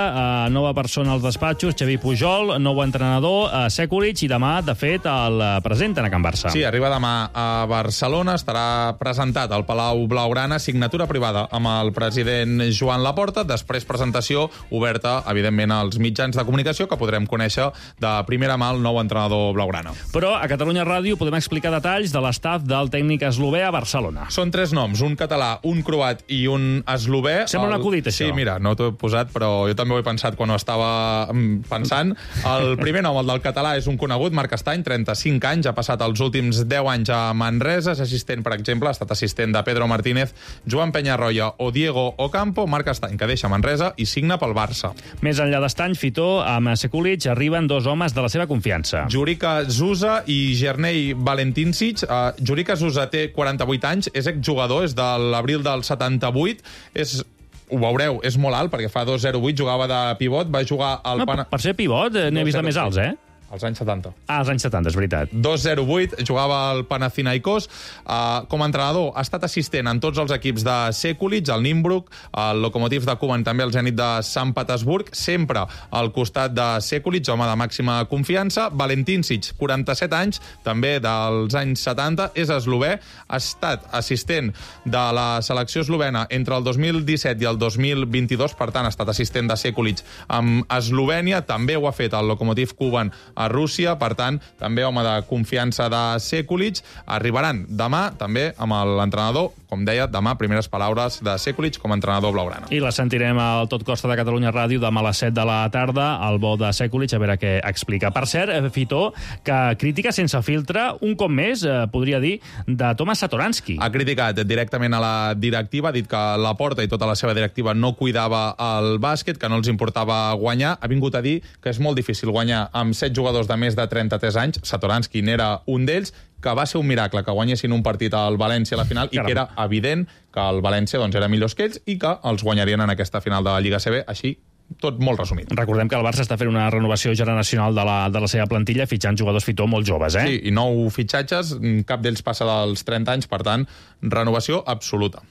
eh, nova persona als despatxos, Xavi Pujol, nou entrenador, eh, Sekulic, i demà, de fet, el presenten a Can Barça. Sí, arriba demà a Barcelona, estarà presentat al Palau Blaugrana, signatura privada amb el president Joan Laporta, després presentació oberta, evidentment, als mitjans de comunicació, que podrem conèixer de primera mà el nou entrenador blaugrana. Però a Catalunya Ràdio podem explicar detalls de l'estaf del tècnic eslové a Barcelona. Són tres noms, un català, un croat i un eslové. Sembla un acudit, això. Sí, mira, no t'ho he posat, però jo també ho he pensat quan ho estava pensant. El primer nom, el del català, és un conegut, Marc Estany, trenta-cinc anys, ha passat els últims deu anys a Manresa, és assistent, per exemple, ha estat assistent de Pedro Martínez, Joan Peñarroya o Diego Ocampo. Marc Estany, que deixa Manresa i signa pel Barça. Més enllà d'Estany, Fito, amb Sekulic arriben dos homes de la seva confiança. Jurica Zusa i Gernei Valentincic. Uh, Jurica Zusa té quaranta-vuit anys, és exjugador, és de l'abril del setanta-vuit, és, ho veureu, és molt alt, perquè fa dos zero vuit, jugava de pivot, va jugar al... No, Pana... Per ser pivot n'he vist de més alts, eh? Als anys setanta. Ah, als anys setanta, és veritat. dos zero vuit, jugava al Panathinaikos. Uh, com a entrenador, ha estat assistent en tots els equips de Sekulic, el Nimbrook, el Lokomotiv de Kuban, també el Zenit de Sant Petersburg, sempre al costat de Sekulic, home de màxima confiança. Valentincic, quaranta-set anys, també dels anys setanta, és eslové, ha estat assistent de la selecció eslovena entre el dos mil disset i el dos mil vint-i-dos, per tant, ha estat assistent de Sekulic amb Eslovènia, també ho ha fet el Lokomotiv Kuban a Rússia, per tant, també home de confiança de Sekulic. Arribaran demà, també, amb l'entrenador, com deia, demà, primeres paraules de Sekulic com a entrenador blaugrana. I la sentirem al Tot Costa de Catalunya Ràdio demà a les set de la tarda, al bo de Sekulic, a veure què explica. Per cert, Fito, que crítica sense filtre, un cop més, eh, podria dir, de Tomas Satoransky. Ha criticat directament a la directiva, ha dit que Laporta i tota la seva directiva no cuidava el bàsquet, que no els importava guanyar. Ha vingut a dir que és molt difícil guanyar amb set jugadors de més de trenta-tres anys, Satoransky n'era un d'ells, que va ser un miracle que guanyessin un partit al València a la final. Caram. I que era evident que el València doncs, era millor que ells i que els guanyarien en aquesta final de la Lliga C B, així tot molt resumit. Recordem que el Barça està fent una renovació generacional de la, de la seva plantilla, fitxant jugadors, Fito, molt joves, eh? Sí, i nou fitxatges, cap d'ells passa dels trenta anys, per tant, renovació absoluta.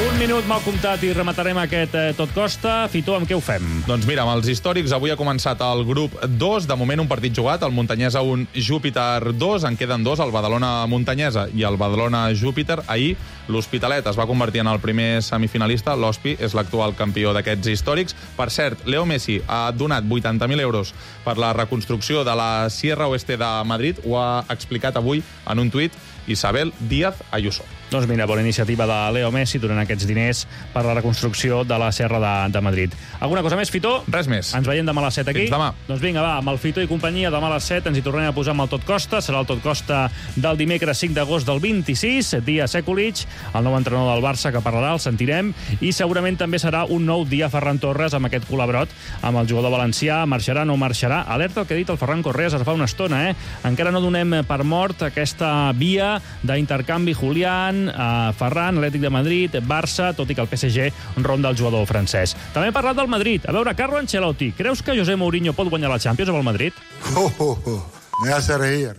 Un Un minut mal comptat i rematarem aquest eh, Tot Costa. Fito, amb què ho fem? Doncs mira, amb els històrics, avui ha començat el grup dos. De moment, un partit jugat, el Montanyesa un, Júpiter dos. En queden dos, el Badalona Montanyesa i el Badalona Júpiter. Ahir, l'Hospitalet es va convertir en el primer semifinalista. L'Hospi és l'actual campió d'aquests històrics. Per cert, Leo Messi ha donat vuitanta mil euros per la reconstrucció de la Sierra Oeste de Madrid. Ho ha explicat avui en un tuit Isabel Díaz Ayuso. Doncs mira, bona iniciativa de Leo Messi donant aquests diners per la reconstrucció de la Serra de, de Madrid. Alguna cosa més, Fito? Res més. Ens veiem demà a les set aquí. Fins demà. Doncs vinga, va, amb el Fito i companyia, demà a les set ens hi tornem a posar amb el Tot Costa. Serà el Tot Costa del dimecres cinc d'agost del vint-i-sis, dia Sekulic, el nou entrenador del Barça que parlarà, el sentirem, i segurament també serà un nou dia Ferran Torres amb aquest col·labrot amb el jugador valencià. Marxarà, no marxarà? Alerta el que ha dit el Ferran Correas ara fa una estona, eh? Encara no donem per mort aquesta via d'intercanvi Julián, a Ferran, Atlètic de Madrid, Barça, tot i que el P S G ronda el jugador francès. També ha parlat del Madrid. A veure, Carlo Ancelotti, creus que José Mourinho pot guanyar la Champions amb el Madrid? Oh, oh, oh. Me hace reír.